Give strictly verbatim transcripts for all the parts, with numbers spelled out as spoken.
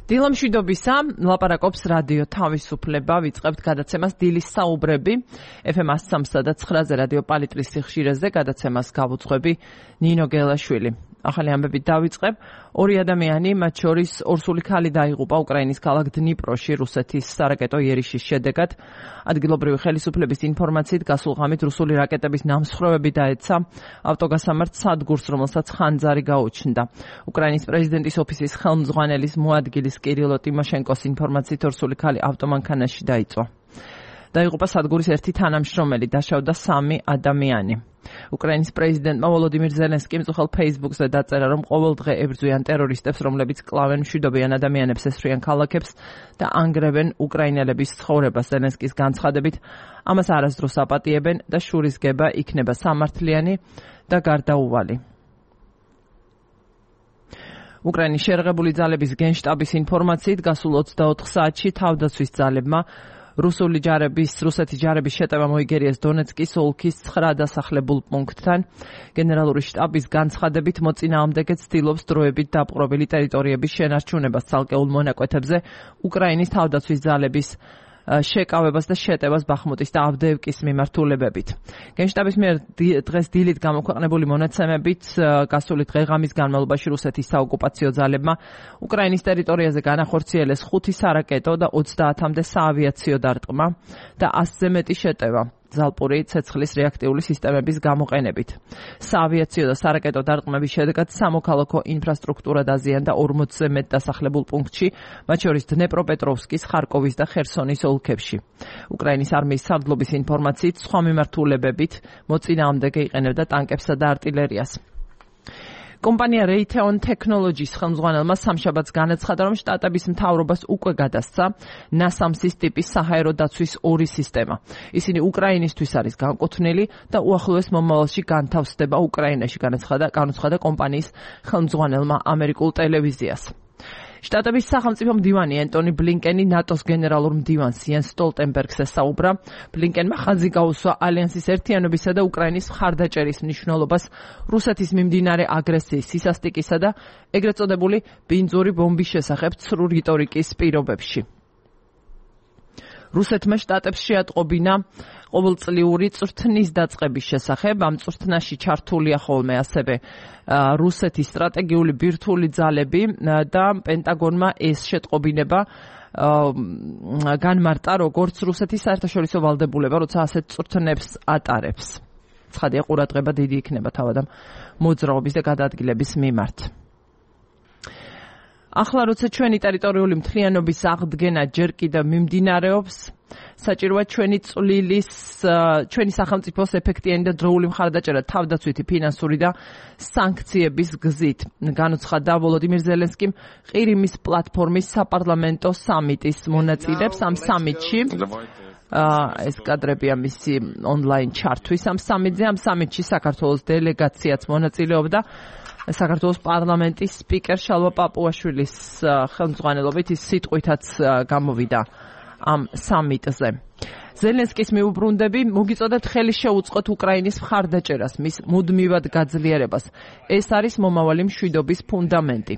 დილამშვიდობისა, ლაპარაკობს რადიო თავისუფლება, ვიწყებთ გადაცემას დილის საუბრები, ეფ ემ one oh three და nine-ზე რადიო პალიტრის სიხშირეზე გადაცემას გავუძღვები ნინო გელაშვილი. ახალი ამბებით დავიწყებ. ორი ადამიანი, მათ შორის ორსული ქალი დაიღუპა უკრაინის ქალაქ დნიპროში რუსეთის სარაკეტო იერიშის შედეგად. ადგილობრივი ხელისუფლების ინფორმაციით გასულ ღამით რუსული რაკეტების ნამსხვრევები დაეცა ავტოგასამართ სადგურს, რომელსაც ხანძარი გაუჩნდა. უკრაინის პრეზიდენტის ოფისის ხელმძღვანელის მოადგილის კირილო ტიმოშენკოს ინფორმაციით ორსული ქალი ავტომანქანაში დაიწვა. დაიღუპა სადგურის ერთი თანამშრომელი, დაშავდა სამი ადამიანი. უკრაინის პრეზიდენტმა ვოლოდიმირ ზელენსკიმ უხელ ფეისბუქზე დაწერა, რომ ყოველდღე ებრძვიან ტერორისტებს, რომლებიც კლავენ მშვიდობიან ადამიანებს, ესვრიან ქალაქებს და ანგრევენ უკრაინელების ცხოვრებას. ზელენსკის განცხადებით, ამას არასდროს აპატიებენ და შურისგება იქნება სამართლიანი და გარდაუვალი. უკრაინის შერღებული ძალების გენშტაბის ინფორმაციით გასულ ოცდაოთხ საათში თავდაცვის ძალებმა რუსული ჯარების, რუსეთის ჯარების შეტევა მოიგერიეს დონეცკის ოლქის ცხრა დასახლებულ პუნქტთან. გენერალური შტაბის განცხადებით, მოწინააღმდეგე ცდილობს დროებით დაპყრობილი ტერიტორიების შენარჩუნებას ცალკეულ მონაკვეთებზე უკრაინის თავდაცვის ძალების შეკავებას და შეტევას ბახმუტის და ავდეევკის მიმართულებებით. გენშტაბის მიერ დღეს დილით გამოქვეყნებული მონაცემებით გასული დღე-ღამის განმავლობაში რუსეთის საოკუპაციო ძალებმა უკრაინის ტერიტორიაზე განახორციელეს ხუთი სარაკეტო და ოცდაათამდე საავიაციო დარტყმა და ასზე მეტი შეტევა ზალპური ცეცხლის რეაქტიული სისტემების გამოყენებით. საავიაციო და სარაკეტო დარტყმების შედეგად სამოქალაქო ინფრასტრუქტურა დაზიანდა ორმოცზე მეტ დასახლებულ პუნქტში, მათ შორის დნეპროპეტროვსკის, ხარკოვის და ხერსონის ოლქებში. უკრაინის არმიის სარდლობის ინფორმაციით, სხვა მიმართულებებით მოწინააღმდეგე იყენებდა ტანკებსა და артиლერიას. კომპანია Raytheon Technologies ხელმძღვანელმა სამშაბათს განაცხადა, რომ შტატების მთავრობას უკვე გადასცა ნასამსის ტიპის საჰაერო დაცვის ორი სისტემა. ისინი უკრაინისთვის არის განკუთვნილი და უახლოეს მომავალში განთავსდება უკრაინაში, განაცხადა განაცხადა კომპანიის ხელმძღვანელმა ამერიკულ ტელევიზიას. შტატების სახელმწიფო მდივანი ენტონი ბლინკენი ნატოს გენერალურ მდივანს იენს სტოლტენბერგს ესაუბრა. ბლინკენმა ხაზი გაუსვა ალიანსის ერთიანობისა და უკრაინის მხარდაჭერის მნიშვნელობას რუსეთის მიმდინარე აგრესიის, სისასტიკისა და ეგრეთ წოდებული ბინძური ბომბის შესახებ ცრუ რიტორიკის პირობებში. რუსეთმა შტატებს შეატყობინა ყოველწლიური წვრთნის დაწყების შესახებ. ამ წვრთნაში ჩართულია ხოლმე ასევე რუსეთის სტრატეგიული ბირთვული ძალები და პენტაგონმა ეს შეტყობინება განმარტა, როგორც რუსეთის საერთაშორისო ვალდებულება, როცა ასეთ წვრთნებს ატარებს. ცხადია, ყურადღება დიდი იქნება თავად ამ მოძრაობის და გადაადგილების მიმართ. ახლა როცა ჩვენი ტერიტორიული მთლიანობის აღდგენა ჯერ კიდევ მიმდინარეობს, საჭიროა ჩვენი წვლილის, ჩვენი სახელმწიფოს ეფექტიანი და დროული მხარდაჭერა თავდაცვითი, ფინანსური და სანქციების გზით. განუცხადა ვოლოდიმირ ზელენსკიმ ყირიმის პლატფორმის საპარლამენტო სამიტის მონაწილეებს. ამ სამიტში ეს კადრებია მისი ონლაინ ჩართვის ამ სამიტზე. ამ სამიტში საქართველოს დელეგაციაც მონაწილეობდა. საქართველოს პარლამენტის სპიკერ შალვა პაპუაშვილის ხელმძღვანელობით ის სიტყვითაც გამოვიდა ამ სამიტზე. ზელენსკის მიუბრუნდები, მოგიწოდეთ ხელი შეუწყოთ უკრაინის მხარდაჭერას, მის მუდმივად გაძლიერებას. ეს არის მომავალი მშვიდობის ფუნდამენტი.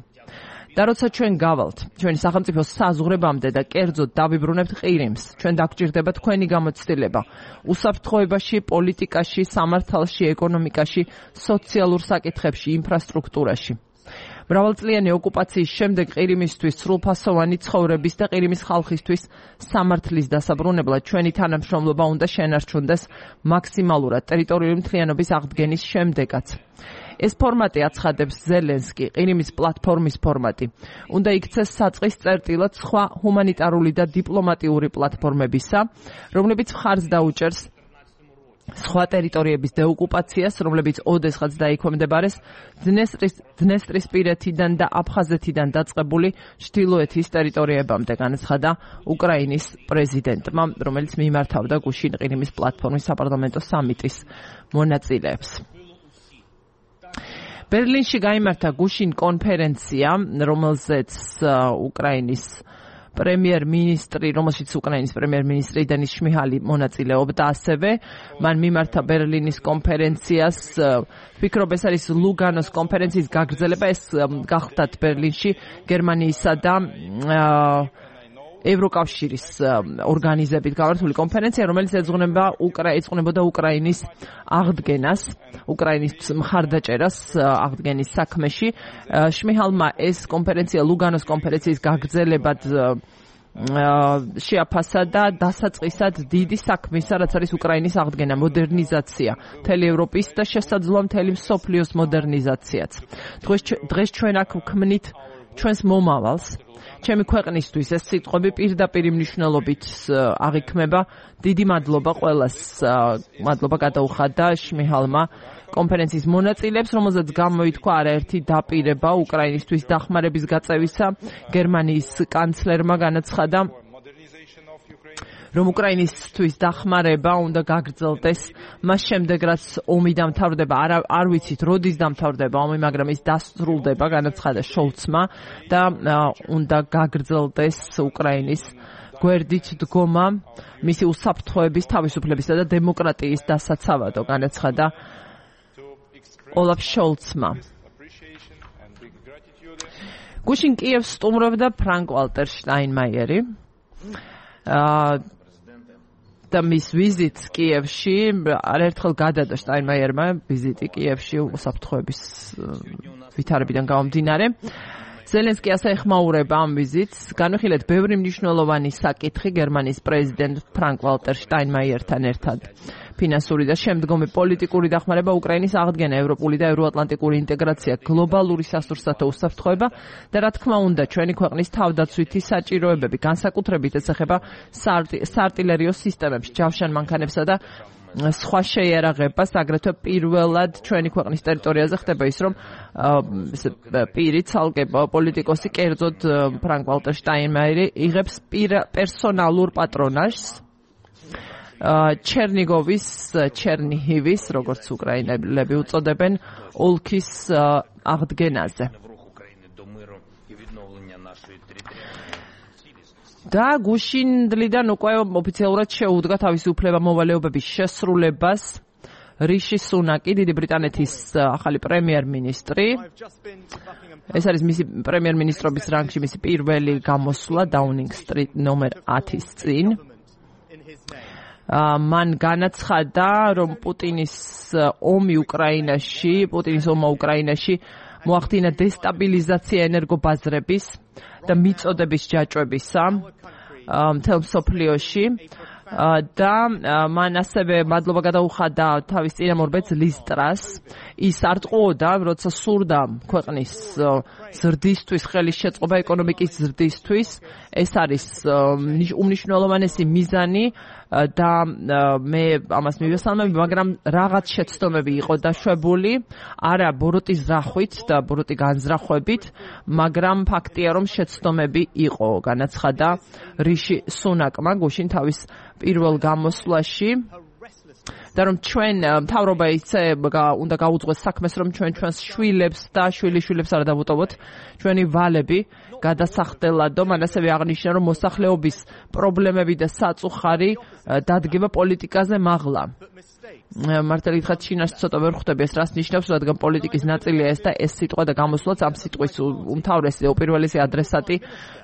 და როცა ჩვენ გავალთ ჩვენი სახელმწიფოს საზღვრებამდე და კერძოდ დავიბრუნებთ ყირიმს, ჩვენ დაგჭირდება თქვენი გამოცდილება უსაფრთხოებაში, პოლიტიკაში, სამართალში, ეკონომიკაში, სოციალურ საკითხებში, ინფრასტრუქტურაში. მრავალწლიანი ოკუპაციის შემდეგ ყირიმისთვის სრულფასოვანი ცხოვრების და ყირიმის ხალხისთვის სამართლის დასაბრუნებლად ჩვენი თანამშრომლობა უნდა შენარჩუნდეს მაქსიმალურად ტერიტორიული მთლიანობის აღდგენის შემდეგაც. ეს ფორმატი აცხადებს ზელენსკი, ყირიმის პლატფორმის ფორმატი. უნდა იქცეს საწყის წერტილად სხვა ჰუმანიტარული და დიპლომატიური პლატფორმებისა, რომლებიც მხარს დაუჭერს სხვა ტერიტორიების დეოკუპაციას, რომლებიც ოდესღაც დაიქვემდებარეს დნესტრისპირეთიდან და აფხაზეთიდან დაწყებული ჩრდილოეთის ტერიტორიებამდე, განაცხადა უკრაინის პრეზიდენტმა, რომელიც მიმართავდა გუშინ ყირიმის პლატფორმის საპარლამენტო სამიტის მონაწილეებს. ბერლინში გაიმართა გუშინ კონფერენცია, რომელზეც უკრაინის პრემიერ-მინისტრი, რომელშიც უკრაინის პრემიერ-მინისტრი დენის შმიჰალი მონაწილეობდა ასევე. მან მიმართა ბერლინის კონფერენციას. ვფიქრობ, ეს არის ლუგანოს კონფერენციის გაგრძელება, ეს გახლდათ ბერლინში გერმანიისა და ევროკავშირის ორგანიზებით გამართული კონფერენცია, რომელიც ეძღვნება ეძღვნებოდა უკრაინის აღდგენას, უკრაინის მხარდაჭერას აღდგენის საქმეში. შმიჰალმა ეს კონფერენცია ლუგანოს კონფერენციის გაგრძელებად შეაფასა და დასაწყისად დიდი საქმისა, რაც არის უკრაინის აღდგენა, მოდერნიზაცია, მთელი ევროპის და შესაძლოა მთელი მსოფლიოს მოდერნიზაციაც. დღეს ჩვენ აქ ვქმნით ჩვენს მომავალს. ჩემი ქვეყნისთვის ეს სიტყვები პირდაპირ მნიშვნელობით აღიქმება. დიდი მადლობა ყველას, მადლობა გადაუხადა შმიჰალმა კონფერენციის მონაწილეებს, რომელზეც გამოითქვა არაერთი დაპირება უკრაინისთვის დახმარების გაწევისა. გერმანიის კანცლერმა განაცხადა, რომ უკრაინისთვის დახმარება უნდა გაგრძელდეს მას შემდეგ, რაც ომი დამთავრდება. არ, არ ვიცით, როდის დამთავრდება ომი, მაგრამ ის დასრულდება, განაცხადა შოლცმა და უნდა გაგრძელდეს უკრაინის გვერდით დგომა მისი უსაფრთხოების, თავისუფლებისა და დემოკრატიის დასაცავადო, განაცხადა ოლაფ შოლცმა. გუშინ კიევს სტუმრობდა ფრანკ ვალტერ შტაინმაიერი. და მის ვიზიტს კიევში არაერთხელ გადადა შტაინმაიერმა ვიზიტი კიევში უსაფრთხოების ვითარებიდან გამომდინარე. ზელენსკი ასე ეხმაურება ამ ვიზიტს. განვიხილეთ ბევრი მნიშვნელოვანი საკითხი გერმანიის პრეზიდენტ ფრანკ ვალტერ შტაინმაიერთან ერთად. ფინანსური და შემდგომი პოლიტიკური დახმარება, უკრაინის აღდგენა, ევროპული და ევროატლანტიკური ინტეგრაცია, გლობალური სასურსათო უსაფრთხოება და რა თქმა უნდა ჩვენი ქვეყნის თავდაცვითი საჭიროებები, განსაკუთრებით ეს ეხება საარტილერიო სისტემებს, ჯავშან მანქანებსა და სხვა შეიარაღებას. აგრეთვე პირველად ჩვენი ქვეყნის ტერიტორიაზე ხდება ის, რომ პირი ცალკე პოლიტიკოსი, კერძოდ ფრანკ ვალტერ შტაინმაიერი იღებს პერსონალურ პატრონაჟს ჩერნიგოვის, ჩერნიჰივის, როგორც უკრაინელები უწოდებენ, ოლქის აღდგენაზე. და გუშინდლიდან უკვე ოფიციალურად შეუდგა თავისი უფლება-მოვალეობების შესრულებას რიში სუნაკი, დიდი ბრიტანეთის ახალი პრემიერ-მინისტრი. ეს არის მისი პრემიერ-მინისტრობის რანგში მისი პირველი გამოსვლა დაუნინგ სტრიტ ნომერ ათის წინ. მან განაცხადა, რომ პუტინის ომი უკრაინაში, პუტინის ომმა უკრაინაში მოახდინა დესტაბილიზაცია ენერგობაზრების და მიწოდების ჯაჭვებისა მთელ მსოფლიოში და მან ასევე მადლობა გადაუხადა თავის წინამორბედს ლის ტრას. ის არ ტყუოდა, როცა სურდა ქვეყნის ზრდისთვის, ხელის შეწყობა ეკონომიკის ზრდისთვის. ეს არის უმნიშვნელოვანესი მიზანი და მე ამას მივესალმები, მაგრამ რაღაც შეცდომები იყო დაშვებული, არა ბოროტის ზრახვით და ბოროტი განზრახვებით, მაგრამ ფაქტია, რომ შეცდომები იყო, განაცხადა რიში სუნაკმა გუშინ თავის პირველ გამოსვლაში. და რომ ჩვენ მთავრობა ისე უნდა გაუძღვეს საქმეს, რომ ჩვენ ჩვენს შვილებს და შვილიშვილებს არ დავუტოვოთ ჩვენი ვალები გადასახდელადო. მან ასევე აღნიშნა, რომ მოსახლეობის პრობლემები და საწუხარი დადგება პოლიტიკაზე მაღლა. მართალი გითხრათ, ჩინას ცოტა ვერ ხვდები ეს რას ნიშნავს, რადგან პოლიტიკის ნაწილია ეს და ეს სიტყვა და გამოსვლაც ამ სიტყვის უმთავრესი და უპირველესი ადრესატი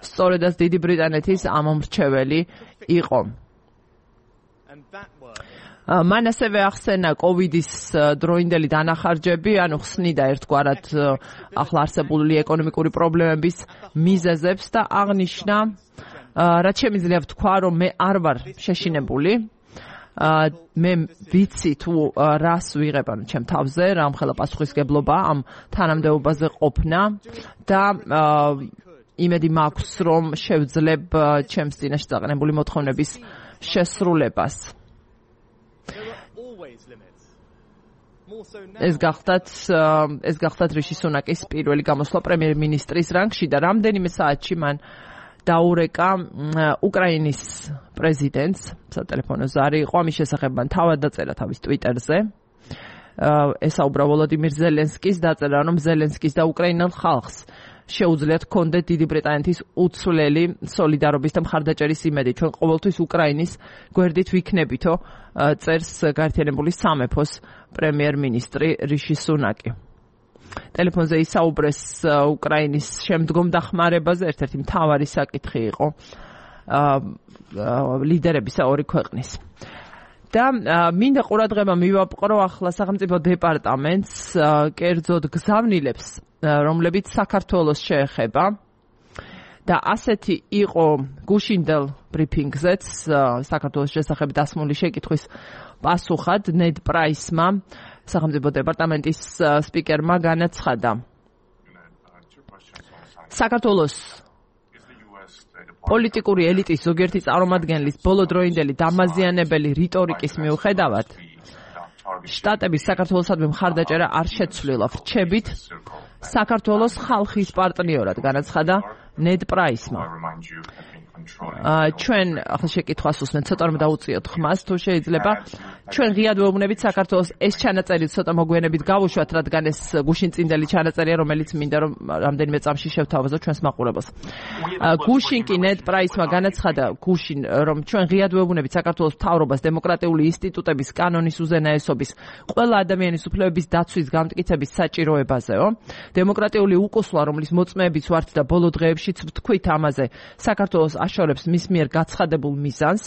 სწორედაც დიდი ბრიტანეთის ამომრჩეველი იყო. მან ასევე ახსენა კოვიდის დროინდელი დანახარჯები, ანუ ხსნიდა ერთგვარად ახლა არსებული ეკონომიკური პრობლემების მიზეზებს და აღნიშნა, რაც შემიძლია ვთქვა, რომ მე არ ვარ შეშინებული, მე ვიცი თუ რას ვიღებ ანუ ჩემ თავზე, რამხელა პასუხისგებლობა ამ თანამდებობაზე ყოფნა და იმედი მაქვს, რომ შევძლებ ჩემს წინაშე დაყენებული მოთხოვნების შესრულებას. ეს გახდათ ეს გახდათ რიში სუნაკის პირველი გამოსვლა პრემიერ-მინისტრის რანგში და რამდენიმე საათში მან დაურეკა უკრაინის პრეზიდენტს, სატელეფონო ზარი იყო, ამის შესახებ მან თავად დაწერა თავის ტვიტერზე. ესაუბრა ვოლოდიმირ ზელენსკის, დაწერა, რომ ზელენსკის და უკრაინელ ხალხს შეუძლიათ კონდეთ დიდი ბრიტანეთის უცვლელი სოლიდარობის და მხარდაჭერის იმედი. ჩვენ ყოველთვის უკრაინის გვერდით ვიქნებითო, წერს გაერთიანებული სამეფოს პრემიერ-მინისტრი რიში სუნაკი. ტელეფონზე ისაუბრეს უკრაინის შემდგომ დახმარებაზე, ერთ-ერთი მთავარი საკითხი იყო ლიდერებისა ორი ქვეყნის. და მინდა ყურადღება მივაპყრო ახლა სახელმწიფო დეპარტამენტს, კერძოდ გზავნილებს, რომლებიც საქართველოს შეეხება და ასეთი იყო გუშინდელ ბრიფინგზეც საქართველოს შესახებ დასმული შეკითხვის პასუხად ნედ პრაისმა სახელმწიფო დეპარტამენტის სპიკერმა განაცხადა. საქართველოს პოლიტიკური ელიტის ზოგიერთი წარმომადგენლის ბოლოდროინდელი დამაზიანებელი რიტორიკის მიუხედავად შტატების საქართველოსადმი მხარდაჭერა არ შეცვლილა. რჩებით საქართველოს ხალხის პარტნიორად განაცხადა ნედ პრაისმა. ჩვენ ახლა შეკითხვას უსმენთ, ცოტა რომ დაუწიოთ ხმას, თუ შეიძლება. ჩვენ ღიად ვეუბნებით საქართველოს ეს ჩანაწერი ცოტა მოგვიანებით გავუშვათ, რადგან ეს გუშინწინდელი ჩანაწერია, რომელიც მინდა რომ რამდენიმე წამში შევთავაზოთ ჩვენს მაყურებელს. გუშინ კი ნედ პრაისმა განაცხადა, გუშინ რომ ჩვენ ღიად ვეუბნებით საქართველოს მთავრობას დემოკრატიული ინსტიტუტების კანონის უზენაესობის, ყველა ადამიანის უფლებების დაცვის გამტკიცების საჭიროებაზეო. დემოკრატიული უკუსლა, რომლის მოწმეებიც ვართ და ბოლო დღეებშიც ვთქვით ამაზე, საქართველოს აშორებს მის მიერ გაცხადებულ მიზანს,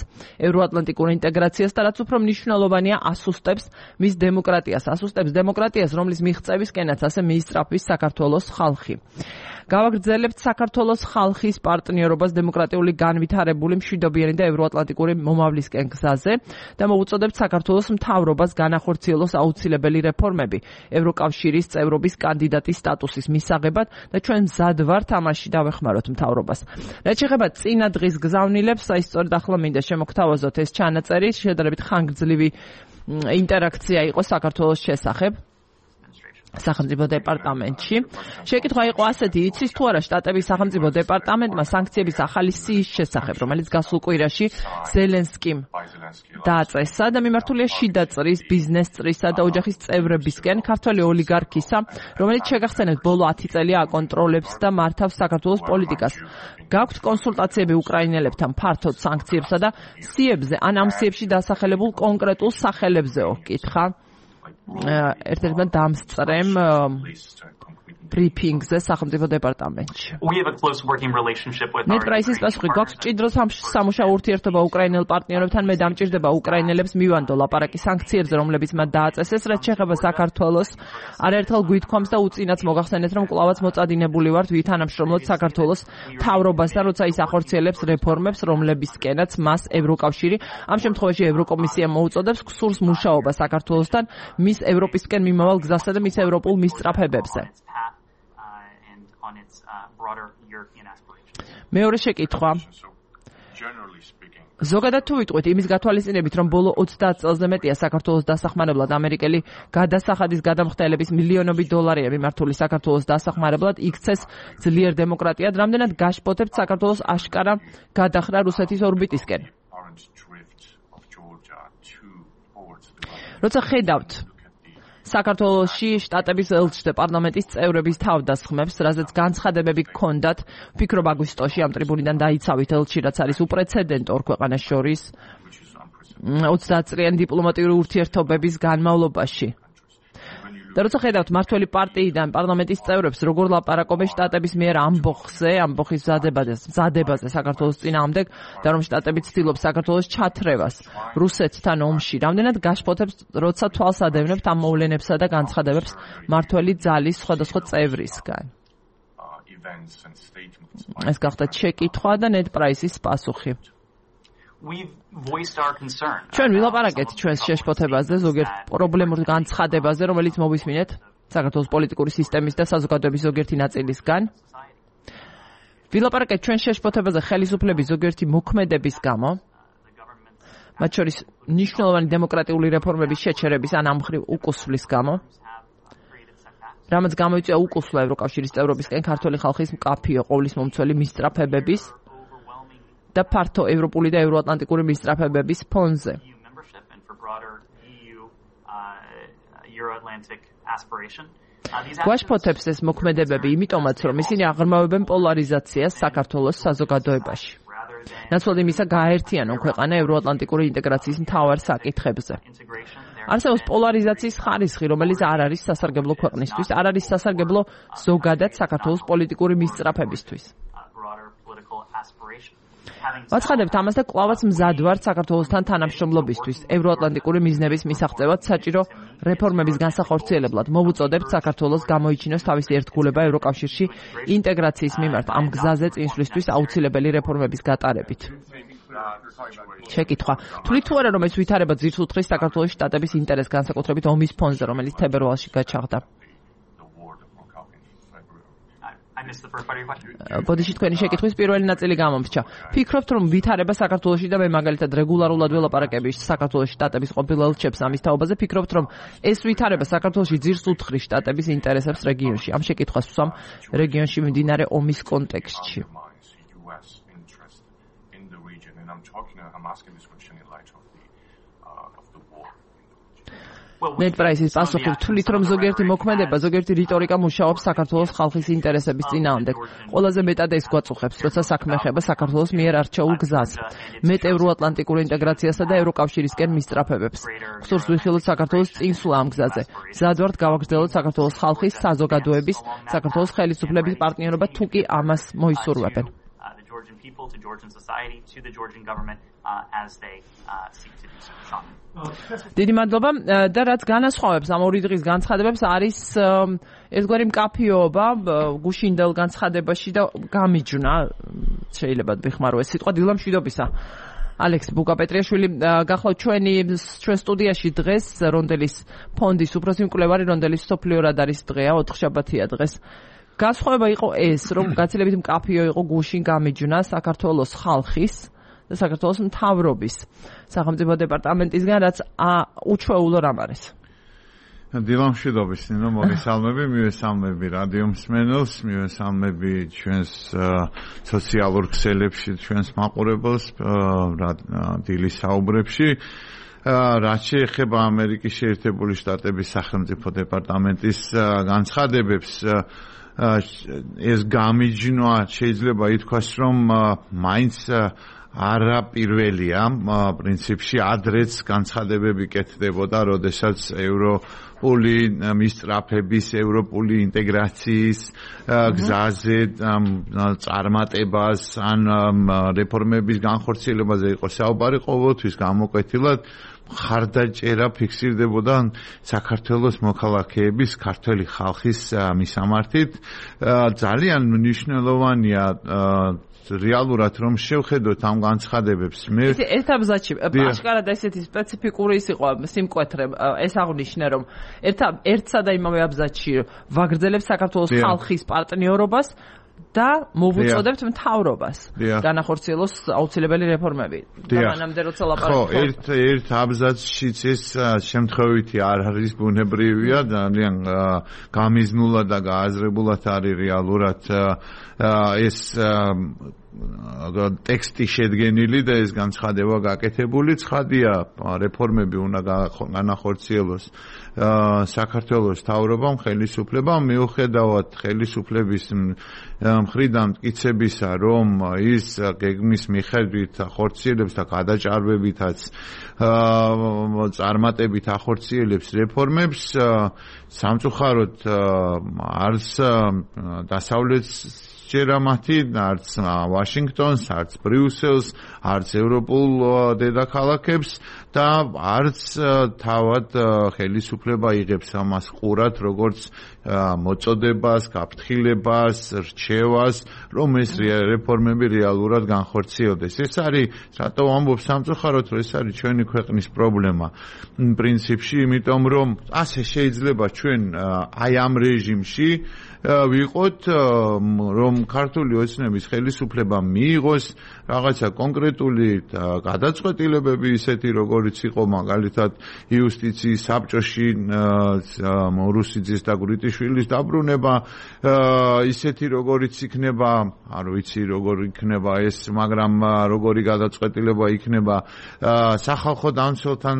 ევროატლანტიკურ ინტეგრაციას და რაც უფრო მნიშვნელოვანია, ასუსტებს მის დემოკრატიას, ასუსტებს დემოკრატიას, რომლის მიღწევისკენაც ასე მიისწრაფვის საქართველოს ხალხი. გავაგრძელებთ საქართველოს ხალხის პარტნიორობას დემოკრატიული განვითარებული მშვიდობიანი და ევროატლანტიკური მომავლისკენ გზაზე და მოვუწოდებთ საქართველოს მთავრობას განახორციელოს აუცილებელი რეფორმები ევროკავშირის წევრობის კანდიდატის სტატუსის მისაღებად და ჩვენ მზად ვართ ამაში დავეხმაროთ მთავრობას. რაც შეეხება წინა დღის გზავნილებს, აი სწორედ ახლა მინდა შემოგთავაზოთ ეს ჩანაწერი, შედარებით ხანგრძლივი ინტერაქცია იყო საქართველოს შესახებ სახელმწიფო დეპარტამენტში. შეკითხვა იყო ასეთი, იცის თუ არა შტატების სახელმწიფო დეპარტამენტმა სანქციების ახალი სიის შესახებ, რომელიც გასულ კვირაში ზელენსკიმ დააწესა და მიმართულია შიდა წრის, ბიზნეს წრისა და ოჯახის წევრებისკენ ქართველი ოლიგარქისა, რომელიც შეგახსენებთ ბოლო ათი წელია აკონტროლებს და მართავს საქართველოს პოლიტიკას. გაქვთ კონსულტაციები უკრაინელებთან ფართოდ სანქციებსა და სიებზე, ან ამ სიებში დასახელებულ კონკრეტულ სახელებზეო, კითხა ერთ-ერთმა დამსწრემ ბრიფინგზე სახელმწიფო დეპარტამენტში. ნედ პრაისის პასუხი, გვაქვს მჭიდრო სამუშაო ურთიერთობა უკრაინელ პარტნიორებთან, მე დამჭირდება უკრაინელებს მივანდო ლაპარაკი სანქციებზე, რომლებიც მათ დააწესეს, რაც შეეხება საქართველოს, არაერთხელ გვითქვამს და უწინაც მოგახსენეთ, რომ კვლავაც მოწადინებული ვართ ვითანამშრომლოთ საქართველოს მთავრობასთან, როცა ის ახორციელებს რეფორმებს, რომლებისკენაც მას ევროკავშირი, ამ შემთხვევაში ევროკომისია მოუწოდებს გსურს მუშაობა საქართველოსთან, მის ევროპისკენ მიმავალ გზასა და მის ევროპულ მისწრაფებებზე. მეორე შეკითხვა. ზოგადად თუ ვიტყვით იმის გათვალისწინებით, რომ ბოლო ოცდაათ წელზე მეტია საქართველოს დასახმარებლად ამერიკელი გადასახადის გადამხდელების მილიონობით დოლარია მიმართული საქართველოს დასახმარებლად იქცეს ძლიერ დემოკრატიად, რამდენად გაშფოთებთ საქართველოს აშკარა გადახრა რუსეთის ორბიტისკენ. როცა ხედავთ საქართველოში შტატების ელჩს და პარლამენტის წევრების თავდასხმებს, რაზეც განცხადებები გქონდათ, ვფიქრობ აგვისტოში ამ ტრიბუნიდან დაიცავით ელჩი, რაც არის უპრეცედენტო ორ ქვეყანას შორის ოცდაათ წლიანი დიპლომატიური ურთიერთობების განმავლობაში. და როცა ხედავთ მართველი პარტიიდან პარლამენტის წევრებს, როგორ ლაპარაკობენ შტატების მიერ ამბოხზე, ამბოხის მზადებაზე საქართველოს წინააღმდეგ და რომ შტატები ცდილობს საქართველოს ჩათრევას რუსეთთან ომში, რამდენად გაშფოთებს, როცა თვალს ადევნებთ ამ მოვლენებსა და განცხადებებს მართველი ძალის სხვადასხვა წევრისგან. ეს გახდა შეკითხვა და ნედ პრაისის პასუხი. ჩვენ ვილაპარაკეთ ჩვენს შეშფოთებაზე, ზოგიერთ პრობლემურ განცხადებაზე, რომელიც მოვისმინეთ საქართველოს პოლიტიკური სისტემის და საზოგადოების ზოგიერთი ნაწილისგან. ვილაპარაკეთ ჩვენ შეშფოთებაზე ხელისუფლების ზოგიერთი მოქმედების გამო, მათ შორის მნიშვნელოვანი დემოკრატიული რეფორმების შეჩერების ან ამ მხრივ უკუსვლის გამო, რამაც გამოიწვია უკუსვლა ევროკავშირის წევრობისკენ ქართული ხალხის მკაფიო ყოვლის მომცველი მისწრაფებების და ფართო ევროპული და ევროატლანტიკური მისწრაფებების ფონზე. გვაშფოთებს ეს მოქმედებები იმიტომაც, რომ ისინი აღრმავებენ პოლარიზაციას საქართველოს საზოგადოებაში. ნაცვლად იმისა გააერთიანონ ქვეყანა ევროატლანტიკური ინტეგრაციის მთავარ საკითხებზე. არსებობს პოლარიზაციის ხარისხი, რომელიც არ არის სასარგებლო ქვეყნისთვის, არ არის სასარგებლო ზოგადად საქართველოს პოლიტიკური მისწრაფებისთვის. ვაცხადებთ ამას და კვლავაც მზად ვართ საქართველოსთან თანამშრომლობისთვის, ევროატლანტიკური მიზნების მისაღწევად საჭირო რეფორმების განსახორციელებლად. მოვუწოდებთ საქართველოს გამოიჩინოს თავისი ერთგულება ევროკავშირში ინტეგრაციის მიმართ ამ გზაზე წინსვლისთვის აუცილებელი რეფორმების გატარებით. შეკითხვა: თვლით თუ არა, რომ ეს ვითარება ძირს უძღვის საქართველოს შტატების ინტერესს განსაკუთრებით ომის ფონზე, რომელიც თებერვალში გაჩაღდა? ბოდიში თქვენი შეკითხვის პირველი ნაწილი გამომრჩა. ფიქრობთ, რომ ვითარება საქართველოში და მე მაგალითად რეგულარულად ველაპარაკები საქართველოს შტატების ყოფილ ელჩებს ამის თაობაზე, ფიქრობთ, რომ ეს ვითარება საქართველოში ძირს უძღვის შტატების ინტერესებს რეგიონში. ამ შეკითხვას ვსვამ რეგიონში მიმდინარე ომის კონტექსტში. ნედ პრაისის პასუხი: თვლით, რომ ზოგიერთი მოქმედება, ზოგიერთი რიტორიკა მუშაობს საქართველოს ხალხის ინტერესების წინააღმდეგ. ყველაზე მეტად ეს გვაწუხებს, როცა საქმე ეხება საქართველოს მიერ არჩეულ გზას, მეტ ევროატლანტიკურ ინტეგრაციასა და ევროკავშირისკენ მისწრაფებებს. გსურს ვიხილოთ საქართველოს წინსვლა ამ გზაზე. მზად ვართ გავაგრძელოთ საქართველოს ხალხის, საზოგადოების, საქართველოს ხელისუფლების პარტნიორობა, თუ კი ამას მოისურვებენ. People to Georgian society to the Georgian government uh, as they uh, seek to do so. დიდი მადლობა და რაც განასხვავებს ამ ორი დღის განცხადებებს არის ერთგვარი მკაფიობა გუშინდელ განცხადებაში და გამიჯვნა შეიძლება ვიხმარო ეს სიტყვა დილა მშვიდობისა. ალექს ბუკაპეტრიაშვილი გახლავთ ჩვენი ჩვენ სტუდიაში დღეს რონდელის ფონდის უფროსი მკვლევარი რონდელის სოფლიო რადარის დღეა ოთხშაბათია დღეს. გასხვავება იყო ეს, რომ გაცილებით მკაფიო იყო გუშინ გამიჯვნა საქართველოს ხალხის და საქართველოს მთავრობის სახელმწიფო დეპარტამენტისგან, რაც უჩვეულო რამ არის. დილამშვიდობის, ნინო, მოგესალმები, მივესალმები რადიო მსმენელს, მივესალმები ჩვენს სოციალურ ქსელებში, ჩვენს მაყურებელს დილის საუბრებში. რაც შეეხება ამერიკის შეერთებული შტატების სახელმწიფო დეპარტამენტის განცხადებებს, ეს გამიჯვნა შეიძლება ითქვას, რომ მაინც არა პირველია, პრინციპში ადრეც განცხადებები კეთდებოდა, როდესაც ევროპული მისწრაფების, ევროპული ინტეგრაციის გზაზე წარმატებას ან რეფორმების განხორციელებაზე იყო საუბარი, ყოველთვის გამოკვეთილად ხარდაჭერა ფიქსირდებოდა საქართველოს მოქალაქეების, ქართველი ხალხის მისამართით. ძალიან მნიშვნელოვანია რეალურად რომ შევხედოთ ამ განცხადებებს. მე ერთ აბზაცში აშკარად ესეთი სპეციფიკური ის იყო სიმკვეთრე, ეს აღნიშნე რომ ერთ ერთსა და იმავე აბზაცში ვაგრძელებს საქართველოს ხალხის პარტნიორობას და მოვუწოდებთ მთავრობას განახორციელოს აუცილებელი რეფორმები. და მანამდე როცა ლაპარაკობ. ხო, ერთ ერთ აბზაცშიც ეს შემთხვევითი არ არის ბუნებრივია, ძალიან გამიზნულად და გააზრებულად არის რეალურად ეს ტექსტი შედგენილი და ეს განცხადება გაკეთებული. ცხადია, რეფორმები უნდა განახორციელოს საქართველოს მთავრობამ, ხელისუფლებამ, მიუხედავად ხელისუფლების მხრიდან მტკიცებისა, რომ ის გეგმის მიხედვით ახორციელებს და გადაჭარბებითაც წარმატებით ახორციელებს რეფორმებს, სამწუხაროდ არც დასავლეთს ჯერა მათი, არც ვაშინგტონს, არც ბრიუსელს, არც ევროპულ დედაქალაქებს და არც თავად ხელისუფლება იღებს ამას ყურად, როგორც მოწოდებას, გაფრთხილებას, რჩევას, რომ ეს რეფორმები რეალურად განხორციელდეს. ეს არის, რატო ვამბობ სამწუხაროდ, რომ ეს არის ჩვენი ქვეყნის პრობლემა. პრინციპში, იმიტომ რომ ასე შეიძლება ჩვენ აი ამ რეჟიმში ვიყოთ, რომ ქართული ოცნების ხელისუფლება მიიღოს რაღაცა კონკრეტული გადაწყვეტილებები ისეთი, როგორ როგორიც იყო მაგალითად იუსტიციის საბჭოში რუსიძის და გვრიტიშვილის დაბრუნება, ისეთი როგორიც იქნება, არ ვიცი როგორ იქნება ეს, მაგრამ როგორი გადაწყვეტილება იქნება სახალხო დამცველთან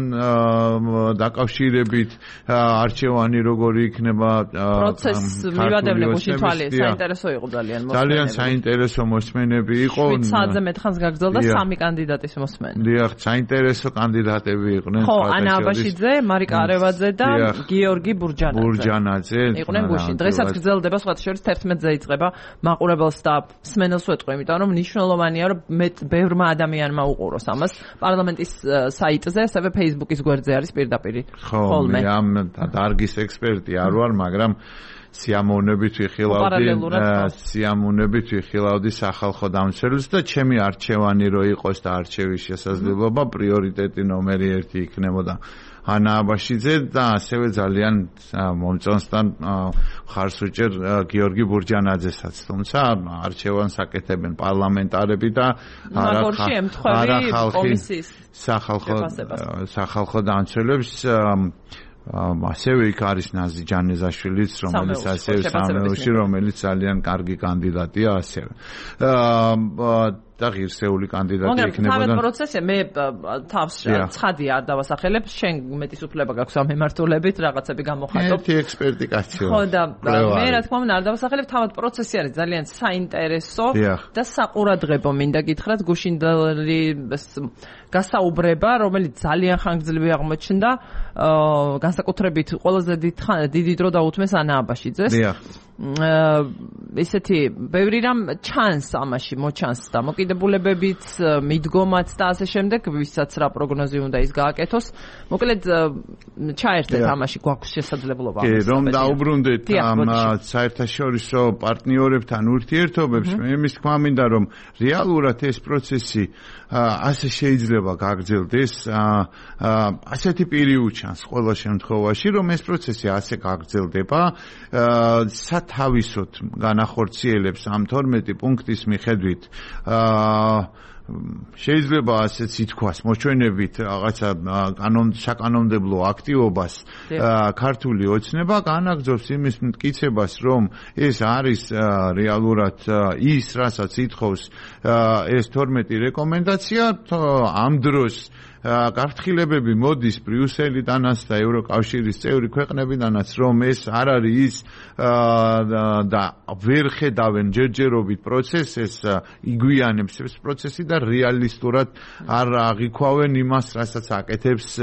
დაკავშირებით, არჩევანი როგორი იქნება პროცესს მივადევნე გუშინ თვალე, საინტერესო იყო ძალიან მოსმენები. ძალიან საინტერესო მოსმენები იყო. შვიდ საათზე მეტხანს გაგრძელდა სამი კანდიდატის მოსმენა. დიახ, საინტერესო კანდიდატები იყვნენ. ხო, ანა აბაშიძე, მარიკა არევაძე და გიორგი ბურჯანაძე. ბურჯანაძე იყვნენ გუშინ. დღესაც გრძელდება სხვათა შორის თერთმეტზე იწყება მაყურებელს და მსმენელს ვეტყვი, იმიტომ რომ მნიშვნელოვანია რომ მეტ ბევრმა ადამიანმა უყუროს ამას. პარლამენტის საიტზე, ასევე Facebook-ის გვერდზე არის პირდაპირ. ხოლმე. ხო, ამ დარგის ექსპერტი არ ვარ, მაგრამ სიამოვნებით ვიხილავდი სიამოვნებით ვიხილავდი სახალხო დამცველს და ჩემი არჩევანი რო იყოს და არჩევის შესაძლებლობა პრიორიტეტი ნომერი ერთი იქნებოდა ანა აბაშიძე და ასევე ძალიან მომწონს და ხარს უჭერ გიორგი ბურჯანაძესაც, თუმცა არჩევანს აკეთებენ პარლამენტარები და არა ხალხი სახალხო სახალხო დამცველებს. ასევე იქ არის ნაზი ჯანეზაშვილიც, რომელიც ასევე სამეურში, რომელიც ძალიან კარგი კანდიდატია ასევე. და ღირსეული კანდიდატი იქნებოდა. მაგრამ პროცესია მე თავს ცხადი არ დავასახელებ, შენ მეტის უფლება გაქვს ამ მემართულებით, რაღაცები გამოხატო. ერთი ექსპერტი კაცია. ხო და მე რა თქმა უნდა არ დავასახელებ, თავად პროცესი არის ძალიან საინტერესო და საყურადღებო მინდა გითხრათ გუშინდელი გასაუბრება, რომელიც ძალიან ხანგრძლივი აღმოჩნდა, განსაკუთრებით ყველაზე დიდი დრო დაუთმეს ანა აბაშიძეს. დიახ. ესეთი ბევრი რამ ჩანს ამაში, მოჩანს და მოკიდებულებებით, მიდგომაც და ასე შემდეგ, ვისაც რა პროგნოზი უნდა ის გააკეთოს. მოკლედ ჩაერთეთ ამაში, გვაქვს შესაძლებლობა. კი, რომ დაუბრუნდეთ ამ საერთაშორისო პარტნიორებთან ურთიერთობებს, მე იმის თქმა მინდა, რომ რეალურად ეს პროცესი ასე შეიძლება გაგრძელდეს, ასეთი პირი უჩანს ყველა შემთხვევაში, რომ ეს პროცესი ასე გაგრძელდება, სათავისოდ განახორციელებს ამ თორმეტი პუნქტის მიხედვით შეიძლება ასეც ითქვას მოჩვენებით რაღაცა საკანონმდებლო აქტივობას ქართული ოცნება განაგრძობს იმის მტკიცებას, რომ ეს არის რეალურად ის, რასაც ითხოვს ეს თორმეტი რეკომენდაცია, ამ დროს გაფრთხილებები მოდის ბრიუსელიდანაც და ევროკავშირის წევრი ქვეყნებიდანაც, რომ ეს არ არის ის და ვერ ხედავენ ჯერჯერობით პროცესს, ეს იგვიანებს ეს პროცესი და რეალისტურად არ აღიქვავენ იმას, რასაც აკეთებს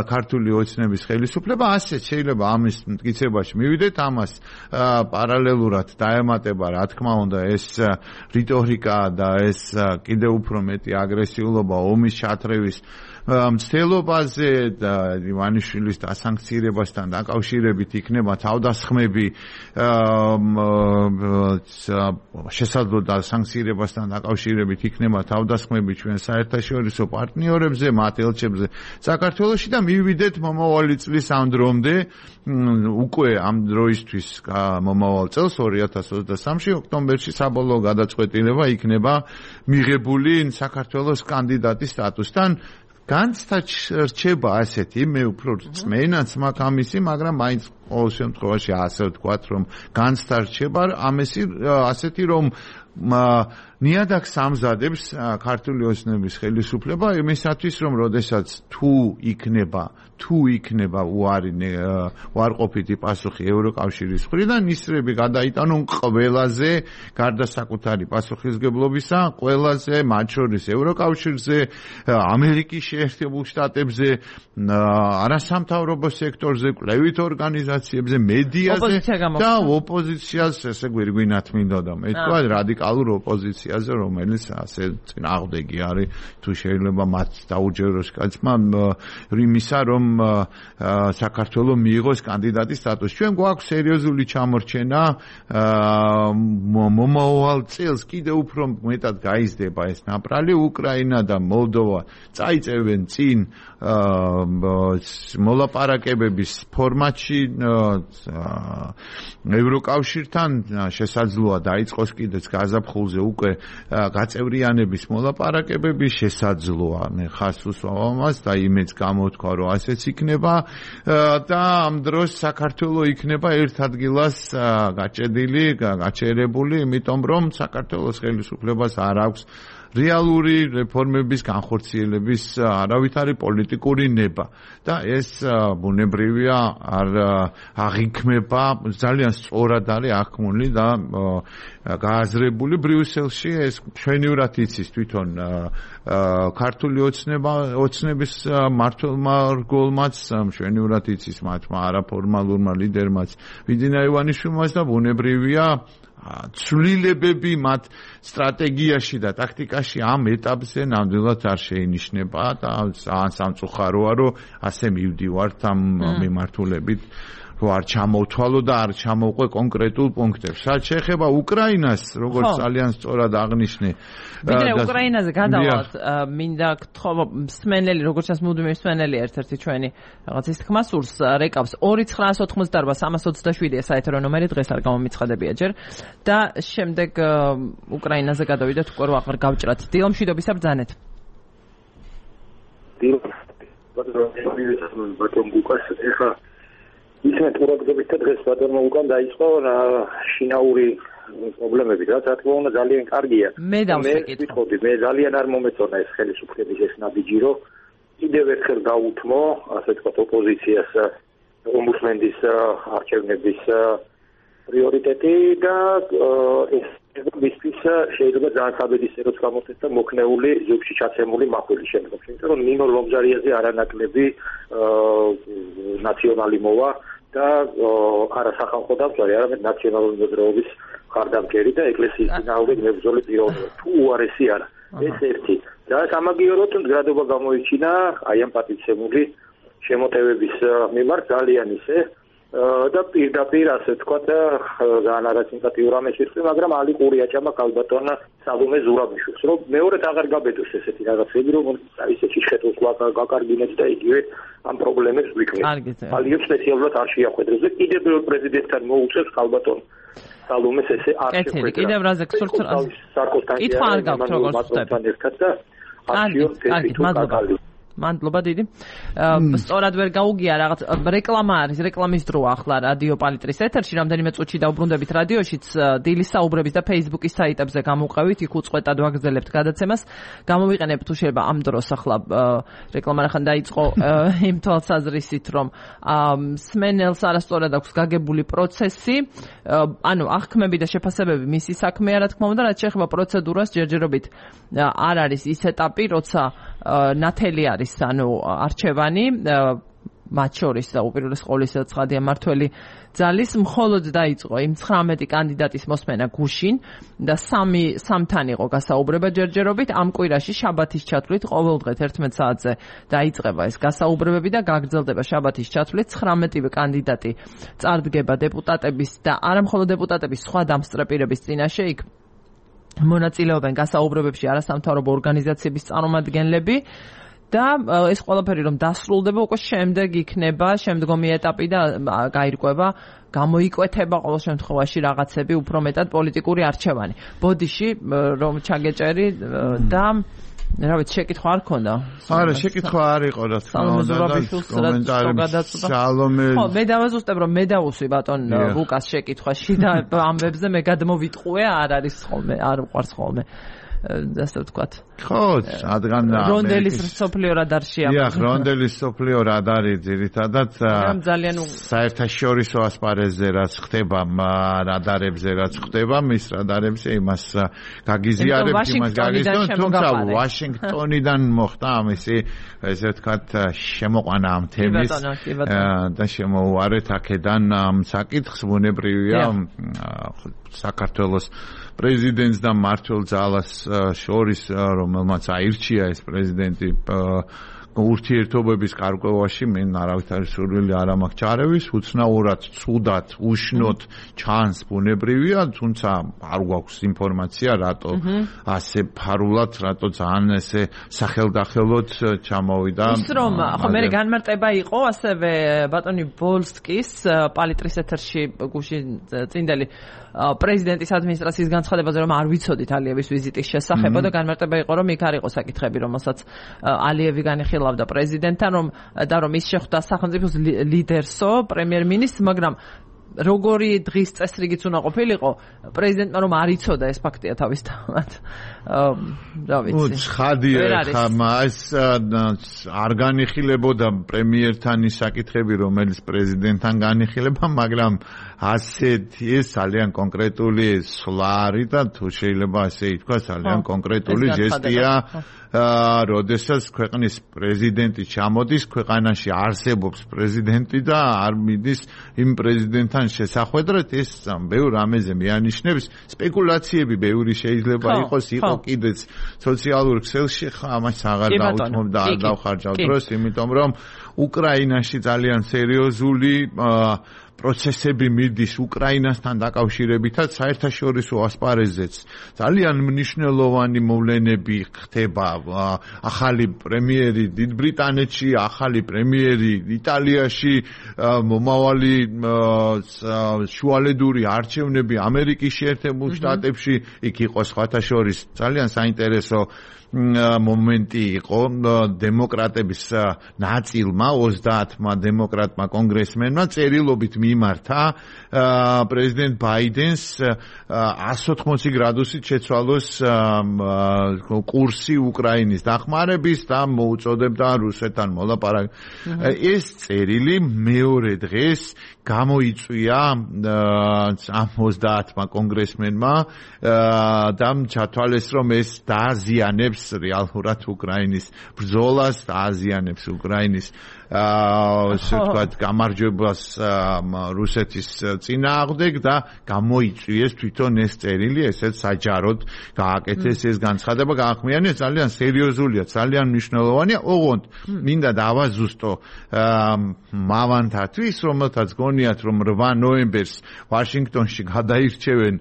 ქართული ოცნების ხელისუფლება. ასე შეიძლება ამის მტკიცებაში მივიდეთ, ამას პარალელურად დაემატება, რა თქმა უნდა, ეს რიტორიკა და ეს კიდევ უფრო მეტი აგრესიულობა ომის ჩათრევის მცდელობაზე და ივანიშვილის დასანქცირებასთან დაკავშირებით იქნება თავდასხმები შესაძლო დასანქცირებასთან დაკავშირებით იქნება თავდასხმები ჩვენ საერთაშორისო პარტნიორებზე, მათ ელჩებზე საქართველოში და მივიდეთ მომავალი წლის ამ დრომდე, უკვე ამ დროისთვის მომავალ წელს ორი ათას ოცდასამში ოქტომბერში საბოლოო გადაწყვეტილება იქნება მიღებული საქართველოს კანდიდატის სტატუსთან. განცდა რჩება ასეთი, მე უფრო რწმენაც მაქვს ამისი, მაგრამ მაინც ყოველ შემთხვევაში ასე ვთქვათ, რომ განცდა რჩება ამისი ასეთი, რომ ნიადაგს ამზადებს ქართული ოცნების ხელისუფლება იმისათვის, რომ როდესაც თუ იქნება თუ იქნება უარი უარყოფითი პასუხი ევროკავშირის მხრიდან, ისრები გადაიტანონ ყველაზე, გარდა საკუთარი პასუხისგებლობისა, ყველაზე, მათ შორის ევროკავშირზე, ამერიკის შეერთებულ შტატებზე, არასამთავრობო სექტორზე, კვლევით ორგანიზაციებზე, მედიაზე და ოპოზიციას, ესე გვირგვინათ მინდოდა, მე თქვა რადიკალურ ოპოზიციაზე, რომელიც ასე წინააღმდეგი არის, თუ შეიძლება მათ დაუჯეროს კაცმა იმისა, რომ საქართველოს მიიღოს კანდიდატის სტატუსი. ჩვენ გვაქვს სერიოზული ჩამორჩენა, მომავალ წელს კიდევ უფრო მეტად გაიზრდება ეს ნაპრალი, უკრაინა და მოლდოვა წაიწევენ წინ მოლაპარაკებების ფორმატში ევროკავშირთან, შესაძლოა დაიწყოს კიდეც გაზაფხულზე უკვე გაწევრიანების მოლაპარაკებები შესაძლოა. მე ხას უსვამავ მას და იმეც გამოთქვა, რომ ასეც იქნება და ამ დროს საქართველოს იქნება ერთ ადგილას გაჭედილი, გაჩერებული, იმიტომ რომ საქართველოს ხელისუფლებას არ აქვს რეალური რეფორმების განხორციელების არავითარი პოლიტიკური ნება და ეს ბუნებრივია არ აღიქმება ძალიან სწორად არის აღქმული და გააზრებული ბრიუსელში ეს ჩვენივრად იცის თვითონ ქართული ოცნება ოცნების მმართველმა რგოლმაც ჩვენივრად იცის მათმა არაფორმალურმა ლიდერმაც ვიძინა ივანიშვილმაც და ბუნებრივია ცვლილებები მათ სტრატეგიაში და ტაქტიკაში ამ ეტაპზე ნამდვილად არ შეინიშნება და სამწუხაროა რომ ასე მივდივართ ამ მიმართულებით რომ არ ჩამოვთვალო და არ ჩამოვყვე კონკრეტულ პუნქტებს. რაც შეეხება უკრაინას, როგორც ძალიან სწორად აღნიშნე. ვიდრე უკრაინაზე გადავალთ, მინდა გთხოვ მსმენელი, როგორც ჩანს მუდმივი მსმენელი ერთ-ერთი ჩვენი რაღაც ის თქმა სურს რეკავს ორი ცხრაას ოთხმოცდაარბა სამას ოცდაშვიდია საეთერო ნომერი, დღეს არ გამომიცხადებია ჯერ და შემდეგ უკრაინაზე გადავიდეთ უკვე რომ აღარ გავჭრათ. დილო მშვიდობისა ბრძანეთ. დილო ბატონ გუკას ეხა ისე თურაგდებით და დღეს ბატონმა უკან დაიწყო შინაური პრობლემები, რაც რა თქმა უნდა ძალიან კარგია. მე დავსეკითხები, მე ძალიან არ მომეწონა ეს ხელისუფლების ეს ნაბიჯი, რომ კიდევ ერთხელ გაუთმო, ასე ვთქვათ, ოპოზიციას ომბუდსმენის არჩევნების პრიორიტეტი და ეს მისთვის შეიძლება ძალიან საბედისწეროც გამოხდეს და მოქნეული ზოგში ჩაცემული მახვილი შემდგომ. იმიტომ რომ ნინო ლომჟარიაზე არანაკლები ნაციონალი მოვა და არა სახალხო დამცვარი, არამედ ნაციონალური მოძრაობის მხარდამჭერი და ეკლესიის წინააღმდეგ მებრძოლი პიროვნება. თუ უარესი არა. ეს ერთი. და სამაგიეროდ მდგრადობა გამოიჩინა აი ამ პატივცემული შემოტევების მიმართ ძალიან ისე და პირდაპირ ასე ვთქვათ ძალიან არასიმპათიურ ამას ვიხდი, მაგრამ ალი ყური აჭამა ქალბატონ სალომე ზურაბიშვილს, რომ მეორედ აღარ გაბედოს ესეთი რაღაცები, რომ ისეთი შეტოს გაკარგინეთ და იგივე ამ პრობლემებს ვიქნეს. ალიო სპეციალურად არ შეახვედროს და კიდევ ბევრ პრეზიდენტთან მოუწევს ქალბატონ სალომეს ესე არ შეხვედრა. კიდევ რაზე გსურთ კითხვა არ გაქვთ როგორც ხდება და კარგი, მადლობა. მადლობა დიდი. სწორად ვერ გაუგია რაღაც რეკლამა არის, რეკლამის დროა ახლა რადიო პალიტრის ეთერში, რამდენიმე წუთში დაუბრუნდებით რადიოშიც, დილის საუბრების და Facebook-ის საიტებზე გამოვყევით, იქ უწყვეტად ვაგრძელებთ გადაცემას. გამოვიყენებთ თუ შეიძლება ამ დროს ახლა რეკლამა რახან დაიწყო იმ თვალსაზრისით, რომ მსმენელს არასწორად აქვს გაგებული პროცესი, ანუ აღქმები და შეფასებები მისი საქმეა, რა თქმა უნდა, რაც შეეხება პროცედურას, ჯერჯერობით არ არის ის ეტაპი, როცა ნათელი არის ანუ არჩევანი მათ შორის და უპირველეს ყოვლისა ცხადია მართველი ძალის მხოლოდ დაიწყო იმ ცხრამეტი კანდიდატის მოსმენა გუშინ და სამი სამთან იყო გასაუბრება ჯერჯერობით ამ კვირაში შაბათის ჩათვლით ყოველდღე ერთმეტ საათზე დაიწყება ეს გასაუბრებები და გაგრძელდება შაბათის ჩათვლით ცხრამეტივე კანდიდატი წარდგება დეპუტატების და არა მხოლოდ დეპუტატების სხვა დამსწრეპირების წინაშე იქ მონაწილეობენ გასაუბრებებში არასამთავრობო ორგანიზაციების წარმომადგენლები და ეს ყველაფერი რომ დასრულდება უკვე შემდეგ იქნება შემდგომი ეტაპი და გაირკვევა გამოიკვეთება ყოველ შემთხვევაში რაღაცები უფრო მეტად პოლიტიკური არჩევანი. ბოდიში რომ ჩაგეჭერი და რა ვიცი შეკითხვა არ ქონდა? არა, შეკითხვა არ იყო რა თქმა უნდა და კომენტარები სალომე. ხო, მე დავაზუსტებ რომ მე დავუსვი ბატონ ლუკას შეკითხვაში და ამბებზე მე გადმოვიტყუე, არ არის ხოლმე, არ უყვარს ხოლმე. ასე ვთქვათ. ხო, რადგან რონდელის სოფლიო რადარშია. დიახ, რონდელის სოფლიო რადარი ძირითადად საერთაშორისო ასპარეზზე რაც ხდება, რადარებზე რაც ხდება, მის რადარებზე იმას გაგიზიარებთ, იმას გაგიზიარებთ, თუმცა ვაშინგტონიდან მოხდა ამისი, ესე ვთქვათ, შემოყვანა ამ თემის და შემოუარეთ აქედან ამ საკითხს, ბუნებრივია საქართველოს პრეზიდენტს და მმართველ ძალას შორის, რომელმაც აირჩია ეს პრეზიდენტი ურთიერთობების გარკვევაში მე არავითარი სურვილი არ მაქვს ჩარევის, უცნაურად, ცუდად, უშნოდ ჩანს ბუნებრივია, თუმცა არ გვაქვს ინფორმაცია, რატო ასე ფარულად, რატო ძალიან ესე სახელდახელოდ ჩამოვიდა. ის რომ ხო მე განმარტება იყო ასევე ბატონი ბოლსკის პალიტრის ეთერში გუშინ წინდელი პრეზიდენტის ადმინისტრაციის განცხადებაზე რომ არ ვიცოდით ალიევის ვიზიტის შესახებ და განმარტება იყო რომ იქ არ იყო საკითხები რომელსაც ალიევი განიხილავდა პრეზიდენტთან რომ და რომ ის შეხვდა სახელმწიფოს ლიდერსო პრემიერ-მინისტრს მაგრამ როგორი დღის წესრიგიც უნდა ყოფილიყო პრეზიდენტმა რომ არ იცოდა ეს ფაქტია თავისთავად რა ვიცი ცხადია ხა მას არ განიხილებოდა პრემიერთან ის საკითხები რომელიც პრეზიდენტთან განიხილება მაგრამ ასეთი ეს ძალიან კონკრეტული სვლა არის და თუ შეიძლება ასე ითქვას ძალიან კონკრეტული ჟესტია როდესაც ქვეყნის პრეზიდენტი ჩამოდის ქვეყანაში არსებობს პრეზიდენტი და არ მიდის იმ პრეზიდენტთან შესახვედრად ეს ბევრ რამეზე მეანიშნებს სპეკულაციები ბევრი შეიძლება იყოს იყო კიდეც სოციალურ ქსელში ამას აღარ დაუთმობ და არ დავხარჯავ დროს იმიტომ რომ უკრაინაში ძალიან სერიოზული პროცესები მიდის უკრაინასთან დაკავშირებითაც საერთაშორისო ასპარეზზეც ძალიან მნიშვნელოვანი მოვლენები ხდება ახალი პრემიერი დიდ ბრიტანეთში ახალი პრემიერი იტალიაში მომავალი შუალედური არჩევნები ამერიკის შეერთებულ შტატებში იქ იყო სხვათა შორის ძალიან საინტერესო მომენტი იყო დემოკრატების ნაწილმა ოცდაათმა დემოკრატმა კონგრესმენმა წერილობით მიმართა პრეზიდენტ ბაიდენს εκατს ოთხმოცი გრადუსით შეცვალოს კურსი უკრაინის დახმარების და მოუწოდებდა რუსეთთან მოლაპარაკებას. ეს წერილი მეორე დღეს გამოიწვია ამ ოცდაათმა კონგრესმენმა და ჩათვალეს რომ ეს დააზიანებს რეალურად უკრაინის ბრძოლას დააზიანებს უკრაინის ასე ვთქვათ გამარჯვებას რუსეთის წინააღმდეგ და გამოიწვიეს თვითონ ეს წერილი ესეც საჯაროდ გააკეთეს ეს განცხადება გაახმიანეს ძალიან სერიოზულია ძალიან მნიშვნელოვანია ოღონდ მინდა დავაზუსტო მავანთათვის რომელთაც გონიათ რომ რვა ნოემბერს ვაშინგტონში გადაირჩევენ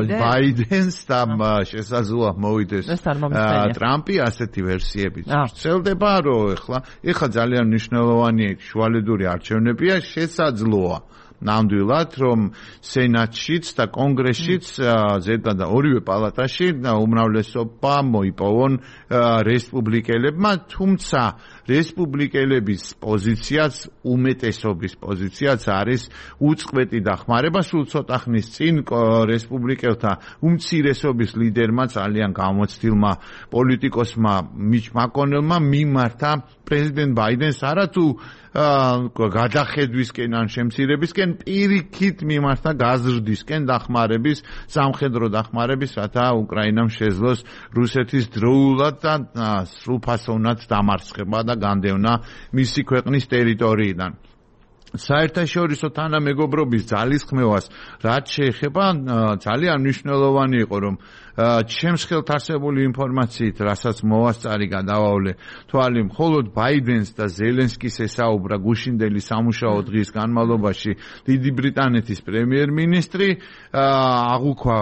ბაიდენს და შესაძლოა მოვიდეს ტრამპი ასეთი ვერსიებით ვრცელდება რომ ეხლა ეხლა ძალიან მნიშვნელოვანი შუალედური არჩევნებია შესაძლოა ნამდვილად რომ სენატშიც და კონგრესშიც ზედა და ორივე პალატაში უმრავლესობა მოიპოვონ რესპუბლიკელებმა თუმცა რესპუბლიკელების პოზიციაც უმეტესობის პოზიციაც არის უწყვეტი დახმარება სულ ცოტა ხნის წინ რესპუბლიკელთა უმცირესობის ლიდერმა ძალიან გამოცდილმა პოლიტიკოსმა მიჩ მაკონელმა მიმართა პრეზიდენტ ბაიდენს არათუ გადახედვისკენ ან შემცირებისკენ პირიქით მიმართა გაზრდისკენ დახმარების სამხედრო დახმარების რათა უკრაინამ შეძლოს რუსეთის დროულად და სრულფასოვნად დამარცხება და განდევნა მისი ქვეყნის ტერიტორიიდან საერთაშორისო თანამეგობრობის ძალისხმევას რაც შეეხება ძალიან მნიშვნელოვანი იყო რომ ჩემს ხელთ არსებული ინფორმაციით, რასაც მოვასწარი გადავავლე თვალი, მხოლოდ ბაიდენს და ზელენსკის ესაუბრა გუშინდელი სამუშაო დღის განმავლობაში დიდი ბრიტანეთის პრემიერ-მინისტრი, აღუქვა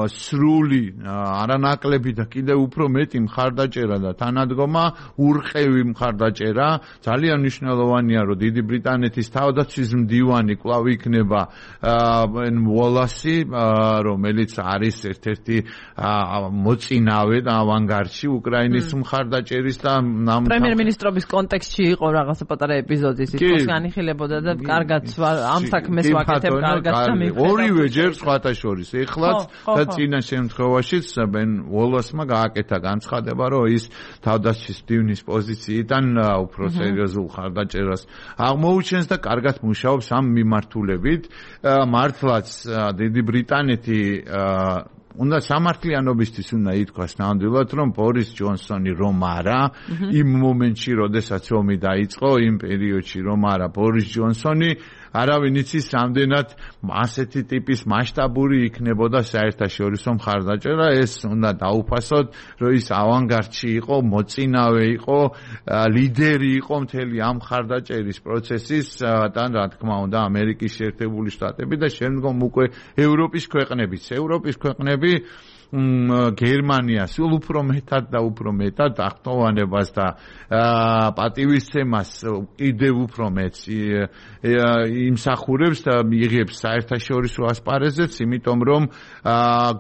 სრული არანაკლები და კიდევ უფრო მეტი მხარდაჭერა და თანადგომა, ურყევი მხარდაჭერა, ძალიან მნიშვნელოვანია, რომ დიდი ბრიტანეთის თავდაცვის მდივანი კვლავ იქნება ბენ უოლასი, რომელიც არის ერთ-ერთი მოწინავე და ავანგარდში უკრაინის მხარდაჭერის და პრემიერ-მინისტრობის კონტექსტში იყო რაღაცა პატარა ეპიზოდი, ის განიხილებოდა და კარგად ამ საქმეს ვაკეთებ, კარგად დამიფერდა. ორივე ჯერ სხვათა შორის, ეხლაც და წინა შემთხვევაშიც ბენ უოლასმა გააკეთა განცხადება, რომ ის თავდაცვის მდივნის პოზიციიდან უფრო სერიოზულ მხარდაჭერას აღმოუჩენს და კარგად მუშაობს ამ მიმართულებით. მართლაც დიდი ბრიტანეთი უნდა სამართლიანობისთვის უნდა ითქვას ნამდვილად, რომ ბორის ჯონსონი რომ არა, იმ მომენტში, როდესაც ომი დაიწყო, იმ პერიოდში რომ არა, ბორის ჯონსონი არავინ იცის რამდენად ასეთი ტიპის მასშტაბური იქნებოდა საერთაშორისო მხარდაჭერა ეს უნდა დაუფასოთ რომ ის ავანგარდში იყო მოწინავე იყო ლიდერი იყო მთელი ამ მხარდაჭერის პროცესის და რა თქმა უნდა ამერიკის შეერთებული შტატები და შემდგომ უკვე ევროპის ქვეყნებიც ევროპის ქვეყნები გერმანია სულ უფრო მეტად და უფრო მეტად აღტოვანებას და პატივისცემას კიდევ უფრო მეტს იმსახურებს და იღებს საერთაშორისო ასპარეზეც, იმიტომ რომ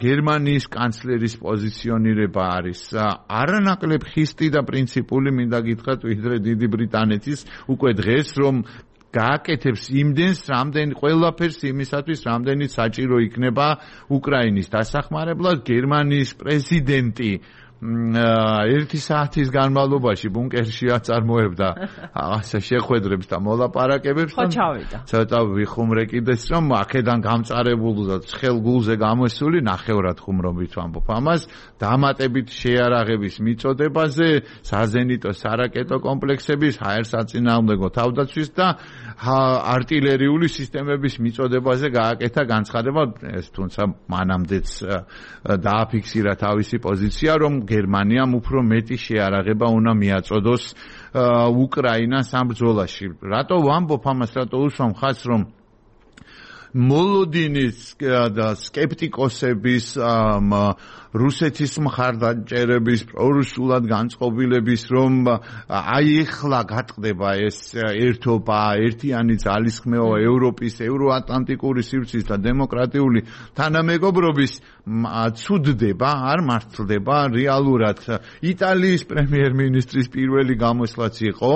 გერმანიის კანცლერის პოზიციონირება არის არანაკლებ ხისტი და პრინციპული, მინდა გითხრათ, ვიდრე დიდი ბრიტანეთის უკვე დღეს რომ გააკეთებს იმდენს, რამდენი ყველაფერს იმისათვის, რამდენიც საჭირო იქნება უკრაინის დასახმარებლად, გერმანიის პრეზიდენტი ერთი საათის განმავლობაში ბუნკერში აწარმოებდა ასე შეხვედრებს და მოლაპარაკებებს ხო ჩავიდა. ცოტა ვიხუმრე კიდეს რომ აქედან გამწარებულ და ცხელ გულზე გამოსული ნახევრად ხუმრობით ვამბობ ამას დამატებით შეარაღების მიწოდებაზე, საზენიტო სარაკეტო კომპლექსების, ჰაერსაწინააღმდეგო თავდაცვის და არტილერიული სისტემების მიწოდებაზე გააკეთა განცხადება, ეს თუმცა მანამდეც დააფიქსირა თავისი პოზიცია, რომ გერმანიამ უფრო მეტი შეარაღება უნდა მიაწოდოს უკრაინას ამ ბრძოლაში. რატო ვამბობ ამას, რატო უსვამ ხაზს, რომ მოლოდინის და სკეპტიკოსების რუსეთის მხარდაჭერების პრორუსულად განწყობილების რომ აი ეხლა გატყდება ეს ერთობა, ერთიანი ძალისხმევა ევროპის, ევროატლანტიკური სივრცის და დემოკრატიული თანამეგობრობის ცუდდება, არ მართლდება რეალურად. იტალიის პრემიერ-მინისტრის პირველი გამოსვლაც იყო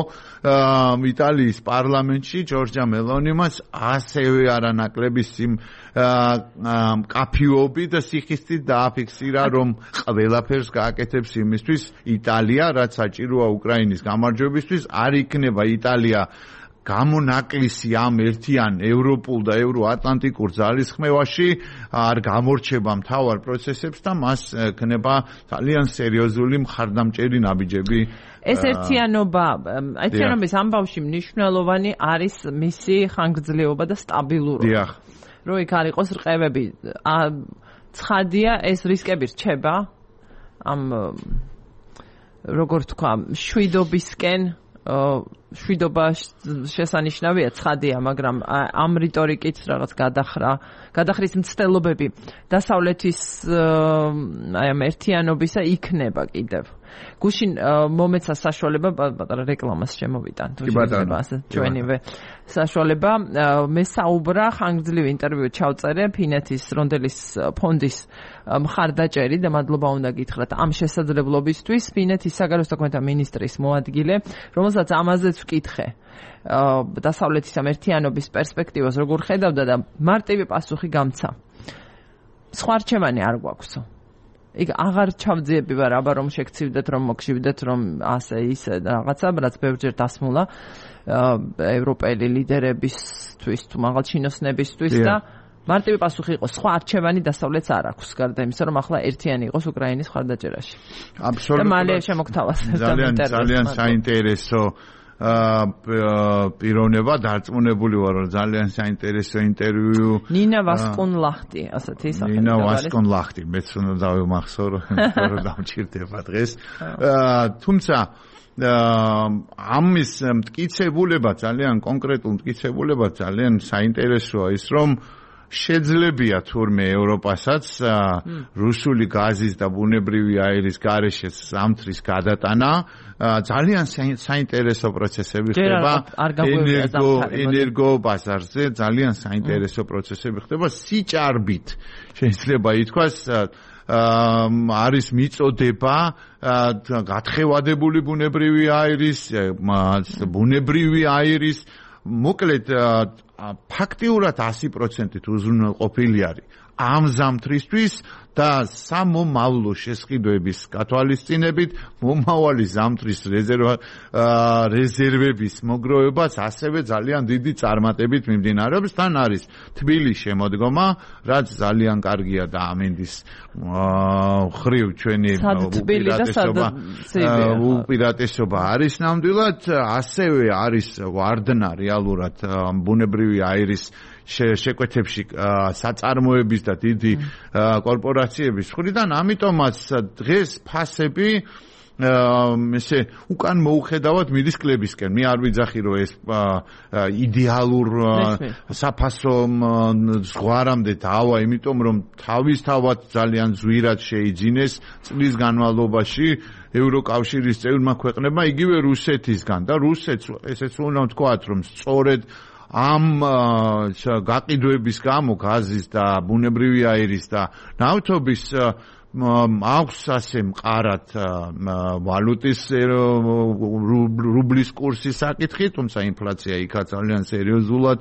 იტალიის პარლამენტში ჯორჯა მელონიმას ასევე არანაკლების იმ კაფიობი და სიხისტით დააფიქსირა რომ ყველაფერს გააკეთებს იმისთვის იტალია, რაც საჭიროა უკრაინის გამარჯვებისთვის, არ იქნება იტალია გამონაკლისი ამ ერთიან ევროპულ და ევროატლანტიკურ ძალისხმევაში, არ გამორჩება მთავარ პროცესებს და მას ექნება ძალიან სერიოზული მხარდამჭერი ნაბიჯები. ეს ერთიანობა, ერთიანობის ამბავში მნიშვნელოვანი არის მისი ხანგრძლივობა და სტაბილურობა. დიახ. რომ იქ არ იყოს რყევები. ცხადია, ეს რისკები რჩება ამ როგორ თქვა, შვიდობისკენ შვიდობა შესანიშნავია, ცხადია, მაგრამ ამ რიტორიკით რაღაც გადახრა, გადახრის მცდელობები დასავლეთის აი ამ ერთიანობისა იქნება კიდევ. გუშინ მომეცა საშუალება პატარა რეკლამას შემოვიტან თუ შეიძლება ასე ჩვენივე საშუალება მე საუბრა ხანგრძლივ ინტერვიუ ჩავწერე ფინეთის რონდელის ფონდის მხარდაჭერი და მადლობა უნდა გითხრათ ამ შესაძლებლობისთვის ფინეთის საგარეო საქმეთა მინისტრის მოადგილე, რომელსაც ამაზეც ვკითხე დასავლეთის ამ ერთიანობის პერსპექტივას როგორ ხედავდა და მარტივი პასუხი გამცა. სხვა რჩევანი არ გვაქვსო. იქ აღარ ჩავძიები ვარ, აბა რომ შეგცივდეთ, რომ მოგშივდეთ, რომ ასე ისე რაღაცა, რაც ბევრჯერ დასმულა ევროპელი ლიდერებისთვის თუ მაღალჩინოსნებისთვის და მარტივი პასუხი იყო, სხვა არჩევანი დასავლეთს არ აქვს, გარდა იმისა, რომ ახლა ერთიანი იყოს უკრაინის მხარდაჭერაში. აბსოლუტურად. და მალე შემოგთავაზებთ ძალიან ძალიან საინტერესო პიროვნება, დარწმუნებული ვარ, რომ ძალიან საინტერესო ინტერვიუ. ნინა ვასკუნლახტი, ასეთი სახელია. ნინა ვასკუნლახტი, მეც უნდა დავიმახსოვრო, რომ დამჭირდება დღეს. თუმცა ამის მტკიცებულება, ძალიან კონკრეტულ მტკიცებულება, ძალიან საინტერესოა ის, რომ შეძლებია თურმე ევროპასაც რუსული გაზის და ბუნებრივი აირის გარეშე ზამთრის გადატანა, ძალიან საინტერესო პროცესები ხდება ენერგო ენერგო ბაზარზე, ძალიან საინტერესო პროცესები ხდება სიჭარბით. შეიძლება ითქვას არის მიწოდება გათხევადებული ბუნებრივი აირის, ბუნებრივი აირის, მოკლედ ფაქტიურად ასი პროცენტით უზრუნველყოფილი არის. ამ ზამთრისთვის და სამომავლო შესყიდვების გათვალისწინებით მომავალი ზამთრის რეზერვა რეზერვების მოგროვებას ასევე ძალიან დიდი წარმატებით მიმდინარეობს. თან არის თბილის შემოდგომა, რაც ძალიან კარგია და ამინდის ხრივ ჩვენი უპირატესობა უპირატესობა არის ნამდვილად, ასევე არის ვარდნა რეალურად ბუნებრივი აირის შეკვეთებში საწარმოების და დიდი კორპორაციების მხრიდან, ამიტომაც დღეს ფასები ესე უკან მოუხედავად მიდის კლებისკენ. მე არ ვიძახი რომ ეს იდეალურ საფასო ზღვარამდე დავა, იმიტომ რომ თავისთავად ძალიან ზვირად შეიძინეს წლის განმავლობაში ევროკავშირის წევრმა ქვეყნებმა, იგივე რუსეთისგან და რუსეთს ესეც უნდა ვთქვათ რომ სწორედ ამ გაყიდვების გამო გაზის და ბუნებრივი აირის და ნავთობის აქვს ასე მყარად ვალუტის რუბლის კურსის საკითხი, თუმცა ინფლაცია იქაც ძალიან სერიოზულად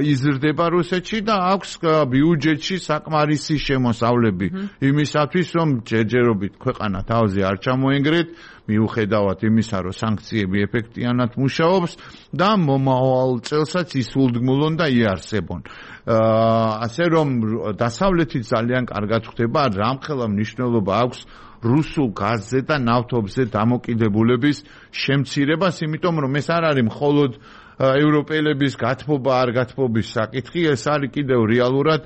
იზრდება რუსეთში და აქვს ბიუჯეტში საკმარისი შემოსავლები იმისათვის, რომ ჯერჯერობით ქვეყანა თავზე არ ჩამოენგრეთ, მიუხედავად იმისა, რომ სანქციები ეფექტიანად მუშაობს და მომავალ წელსაც ისულდგმულონ და იარსებონ. ასე რომ დასავლეთით ძალიან კარგად ხდება, რამხელა მნიშვნელობა აქვს რუსულ გაზზე და ნავთობზე დამოკიდებულების შემცირებას, იმიტომ რომ ეს არ არის მხოლოდ ევროპელების გათბობა არ გათბობის საკითხი, ეს არის კიდევ რეალურად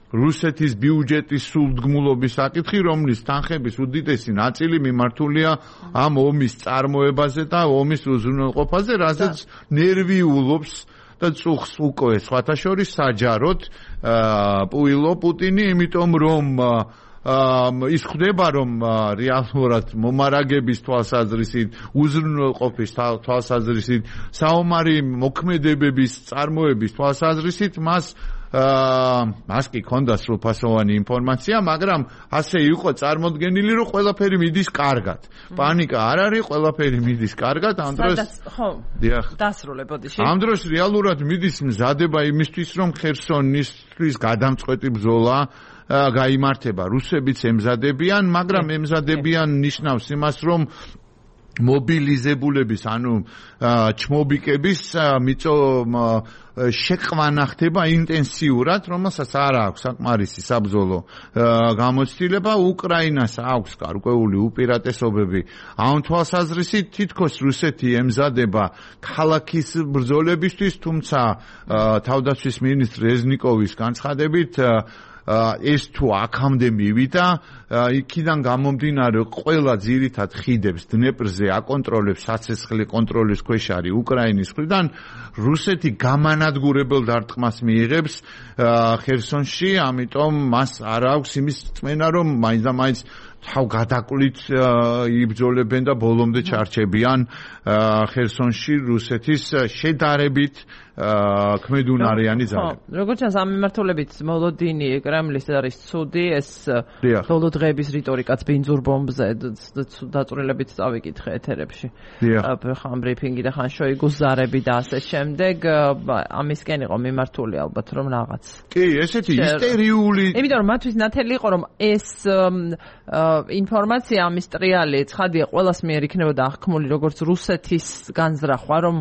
რუსეთის ბიუჯეტის სულდგმულობის საკითხი, რომლის თანხების უდიდესი ნაწილი მიმართულია ამ ომის წარმოებაზე და ომის უზრუნველყოფაზე, რასაც ნერვიულობს და წუხს უკვე სხვათა შორის საჯაროდ პუილო პუტინი, იმიტომ რომ ის ხდება, რომ რეალურად მომარაგების თვალსაზრისით, უზრუნველყოფის თვალსაზრისით, საომარი მოქმედებების წარმოების თვალსაზრისით მას მას კი ქონდა სრულფასოვანი ინფორმაცია, მაგრამ ასე იყო წარმოდგენილი, რომ ყველაფერი მიდის კარგად. პანიკა არ არის, ყველაფერი მიდის კარგად. ამ დროს ხო, დასრულებოდი. ამ დროს რეალურად მიდის მზადება იმისთვის, რომ ხერსონისთვის გადამწყვეტი ბრძოლა გაიმართება. რუსებიც ემზადებიან, მაგრამ ემზადებიან ნიშნავს იმას, რომ მობილიზებულების, ანუ ჩმობიკების მიწო შეყვანა ხდება ინტენსიურად, რომელსაც არ აქვს საკმარისი საბრძოლო გამოცდილება. უკრაინას აქვს გარკვეული უპირატესობები. ამ თვალსაზრისით თითქოს რუსეთი ემზადება ქალაქის ბრძოლებისთვის, თუმცა თავდაცვის მინისტრ რეზნიკოვის განცხადებით ეს თუ აქამდე მივიდა, იქიდან გამომდინარე ყველა ძირითად ხიდებს დნეპრზე აკონტროლებს, საცეცხლე კონტროლის ქვეშ არის უკრაინის მხრიდან, რუსეთი გამანადგურებელ დარტყმას მიიღებს ხერსონში, ამიტომ მას არ აქვს იმის წმენა, რომ მაინც და მაინც თავ გადაკლით იბრძოლებენ და ბოლომდე ჩარჩებიან ხერსონში რუსეთის შედარებით ქმედუნარიანი ძალები. როგორც ჩანს, ამ მიმართულებით მოლოდინი კრემლის არის ცუდი, ეს ბოლო დღეების რიტორიკაც ბინძურ ბომბზე დაწვრილებით წავიკითხე ეთერებში. ხან ბრიფინგი და ხან შოიგუს ზარები და ასე შემდეგ, ამისკენ იყო მიმართული ალბათ რომ რაღაც. კი, ესეთი ისტერიული. იმიტომ რომ მათთვის ნათელი იყო რომ ეს ინფორმაცია ამის ტრიალი ცხადია ყველას მიერ იქნებოდა აღქმული როგორც რუსეთის განზრახვა, რომ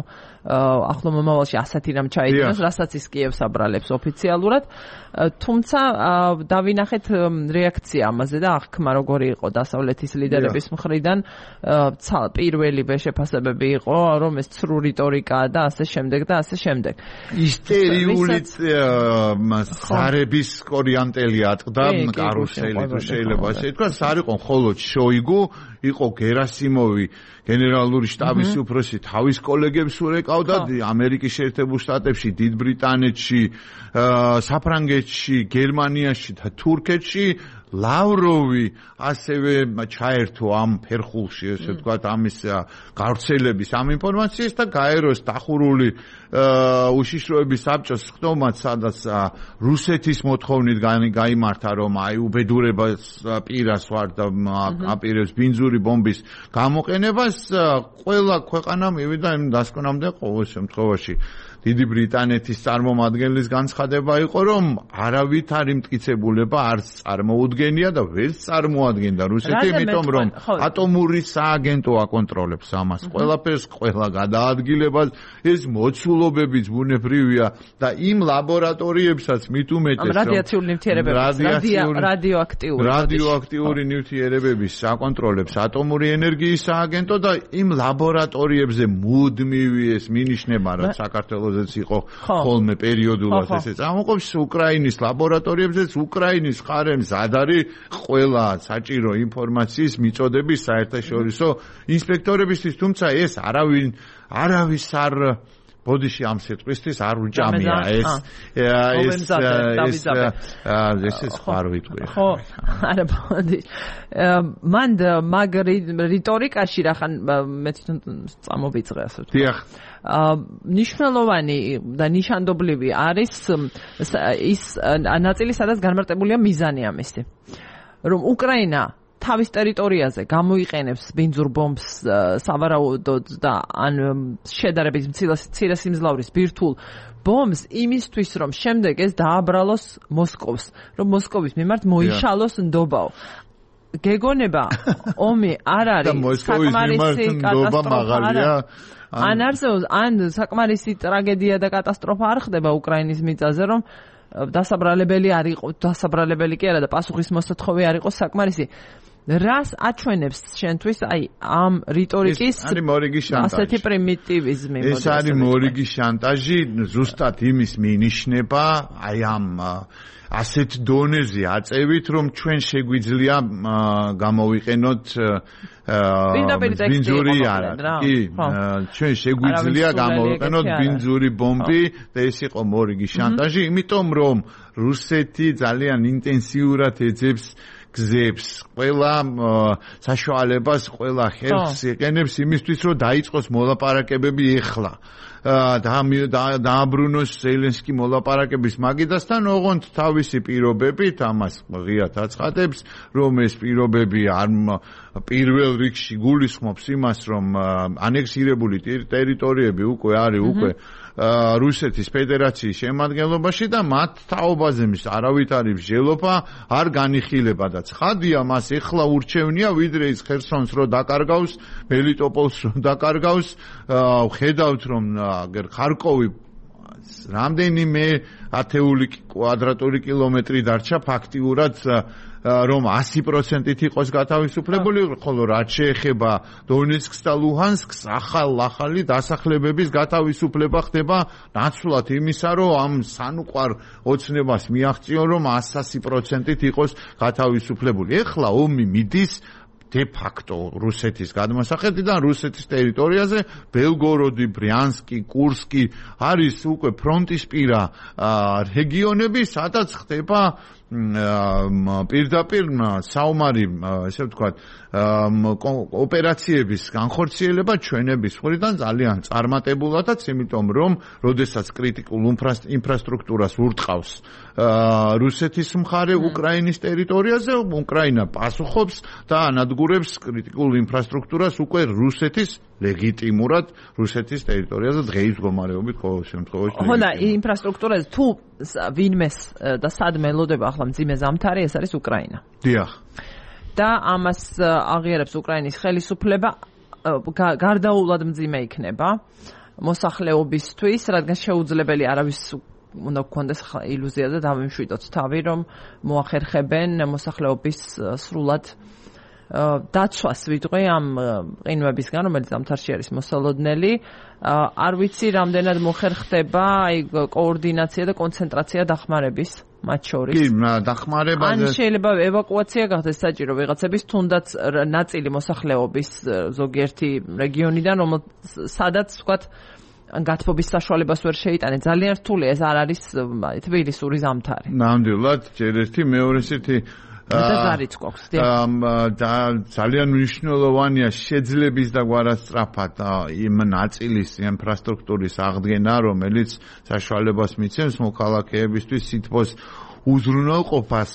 ახლო მომავალში ასეთი რამ ჩაიდინოს, რასაც ის კიევს აბრალებს ოფიციალურად, თუმცა დავინახეთ რეაქცია ამაზე და აღქმა როგორი იყო დასავლეთის ლიდერების მხრიდან, პირველივე შეფასებები იყო, რომ ეს ცრუ რიტორიკაა და ასე შემდეგ და ასე შემდეგ. ისტერიული ზარების კორიანტელი ატყდა კარუსელი, თუ შეიძლება ასე თქვა, არ იყო მხოლოდ შოიგუ, იყო გერასიმოვი, გენერალური შტაბის უფროსი, თავის კოლეგებს ურეკავდა ამერიკის შეერთებულ შტატებში, დიდ ბრიტანეთში, საფრანგეთში, გერმანიაში და თურქეთში, ლავროვი ასევე ჩაერთო ამ ფერხულში, ესე ვთქვათ, ამის გავრცელების ამ ინფორმაციას და გაეროს დახურული უშიშროების საბჭოს ხდომაც, სადაც რუსეთის მოთხოვნით გაიმართა, რომ აი უბედურებას პირას ვარ და აპირებს ბინძური ბომბის გამოყენებას, ყველა ქვეყანა მივიდა იმ დასკვნამდე ყოველ შემთხვევაში. დიდი ბრიტანეთის წარმომადგენლის განცხადება იყო, რომ არავითარი მტკიცებულება არც წარმოუდგენია და ვერც წარმოადგენდა რუსეთი, იმიტომ რომ ატომური სააგენტო აკონტროლებს ამას. ყველაფერს, ყველა გადაადგილებას, ეს მოცულობებიც ბუნებრივია და იმ ლაბორატორიებსაც მით უმეტეს, რომ რადიაციული ნივთიერებების, რადიოაქტიური რადიოაქტიური ნივთიერებების აკონტროლებს ატომური ენერგიის სააგენტო და იმ ლაბორატორიებზე მუდმივი ეს მინიშნება, რომ საქართველოს იყო ხოლმე პერიოდულად ესე წამოყოფს უკრაინის ლაბორატორიებზეც უკრაინის მხარემ მზად არის ყველა საჭირო ინფორმაციის მიწოდების საერთაშორისო ინსპექტორებისთვის, თუმცა ეს არავინ არავის არ ბოდიში ამ სიტყვისთვის არ უჭამია ეს ეს ეს ეს ეს ხარ ვიტყვი ხო არა ბოდი მან მაგ რიტორიკაში რახან მე თვითონ წამოვიწყე ასე ვთქვი დიახ ნიშნულოვანი და ნიშანდობლივი არის ის ნაწილი, სადაც განმარტებულია მიზანი ამისი, რომ უკრაინა თავის ტერიტორიაზე გამოიყენებს ბინძურ ბომბს სავარაუდოდ და ან შედარებით მცირე სიმძლავრის ბირთვულ ბომბს იმისთვის, რომ შემდეგ ეს დააბრალოს მოსკოვს, რომ მოსკოვის მიმართ მოიშალოს ნდობაო. გეგონება ომი არ არის საკმარისი კატასტროფა. ან არსებობს, ან საკმარისი ტრაგედია და კატასტროფა არ ხდება უკრაინის მიწაზე, რომ დასაბრალებელი არ იყო, დასაბრალებელი კი არა და პასუხის მოსათხოვი არ იყო საკმარისი. რას აჩვენებს შენთვის აი ამ რიტორიკის ასეთი პრიმიტივიზმი? ეს არის მორიგი შანტაჟი, ზუსტად იმის მინიშნება, აი ამ ასეთ დონეზე აწევით, რომ ჩვენ შეგვიძლია გამოვიყენოთ ბინძური არა, კი, ჩვენ შეგვიძლია გამოვიყენოთ ბინძური ბომბი და ეს იყო მორიგი შანტაჟი, იმიტომ რომ რუსეთი ძალიან ინტენსიურად ეძებს გზებს, ყველა საშუალებას, ყველა ხელს იყენებს იმისთვის, რომ დაიწყოს მოლაპარაკებები ეხლა. დააბრუნოს ზელენსკი მოლაპარაკების მაგიდასთან, ოღონდ თავისი პირობებით, ამას ღიად აცხადებს, რომ ეს პირობები არ პირველ რიგში გულისხმობს იმას, რომ ანექსირებული ტერიტორიები უკვე არის უკვე რუსეთის ფედერაციის შემადგენლობაში და მათ თაობაზე მის არავითარი მსჯელობა არ განიხილება და ცხადია მას ეხლა ურჩევნია, ვიდრე ის ხერსონს რო დაკარგავს, მელიტოპოლს რო დაკარგავს, ხედავთ რომ ხარკოვი რამდენიმე ათეული კვადრატული კილომეტრი დარჩა ფაქტიურად რომ ასი პროცენტით იყოს გათავისუფლებული, ხოლო რაც შეეხება დონეცკს და ლუჰანსკს, ახალ-ახალი დასახლებების გათავისუფლება ხდება ნაცვლად იმისა, რომ ამ სანუყვარ ოცნებას მიაღწიონ, რომ ასი პროცენტით იყოს გათავისუფლებული. ეხლა ომი მიდის de facto რუსეთის გადმოსახედიდან რუსეთის ტერიტორიაზე ბელგოროდი, ბრიანსკი, კურსკი არის უკვე ფრონტისპირა რეგიონები, სადაც ხდება პირდაპირ საომარი, ესე ვთქვათ, ოპერაციების განხორციელება ჩვენების მხრიდან ძალიან წარმატებულადაც, იმიტომ რომ როდესაც კრიტიკულ ინფრასტრუქტურას ურტყავს რუსეთის მხარე უკრაინის ტერიტორიაზე, უკრაინა პასუხობს და ანადგურებს კრიტიკულ ინფრასტრუქტურას უკვე რუსეთის ლეგიტიმურად რუსეთის ტერიტორიაზე დღეის მდგომარეობით ყოველ შემთხვევაში. ხო და ინფრასტრუქტურაზე თუ ვინმეს და სად მელოდება ახლა მძიმე ზამთარი, ეს არის უკრაინა. დიახ. და ამას აღიარებს უკრაინის ხელისუფლება, გარდაულად მძიმე იქნება მოსახლეობისთვის, რადგან შეუძლებელი არავის უნდა გქონდეს ილუზიაზე დავიმშვიდოთ თავი, რომ მოახერხებენ მოსახლეობის სრულად დაცვას ვიტყვი ამ ყინვებისგან, რომელიც ზამთარში არის მოსალოდნელი. არ ვიცი რამდენად მოხერხდება აი კოორდინაცია და კონცენტრაცია დახმარების მათ შორის. კი, დახმარებაზე. ან შეიძლება ევაკუაცია გახდეს საჭირო ვიღაცების, თუნდაც ნაწილი მოსახლეობის ზოგიერთი რეგიონიდან, სადაც ვთქვათ გათბობის საშუალებას ვერ შეიტანენ. ძალიან რთულია, ეს არ არის თბილისური ზამთარი. ნამდვილად, ჯერ ერთი, მეორე ერთი და ზარიც გვაქვს. და ძალიან მნიშვნელოვანია შეძლების და გვარასწრაფად იმ ნაწილის ინფრასტრუქტურის აღდგენა, რომელიც საშუალებას მიცემს მოქალაქეებისთვის სითბოს უზრუნველყოფას.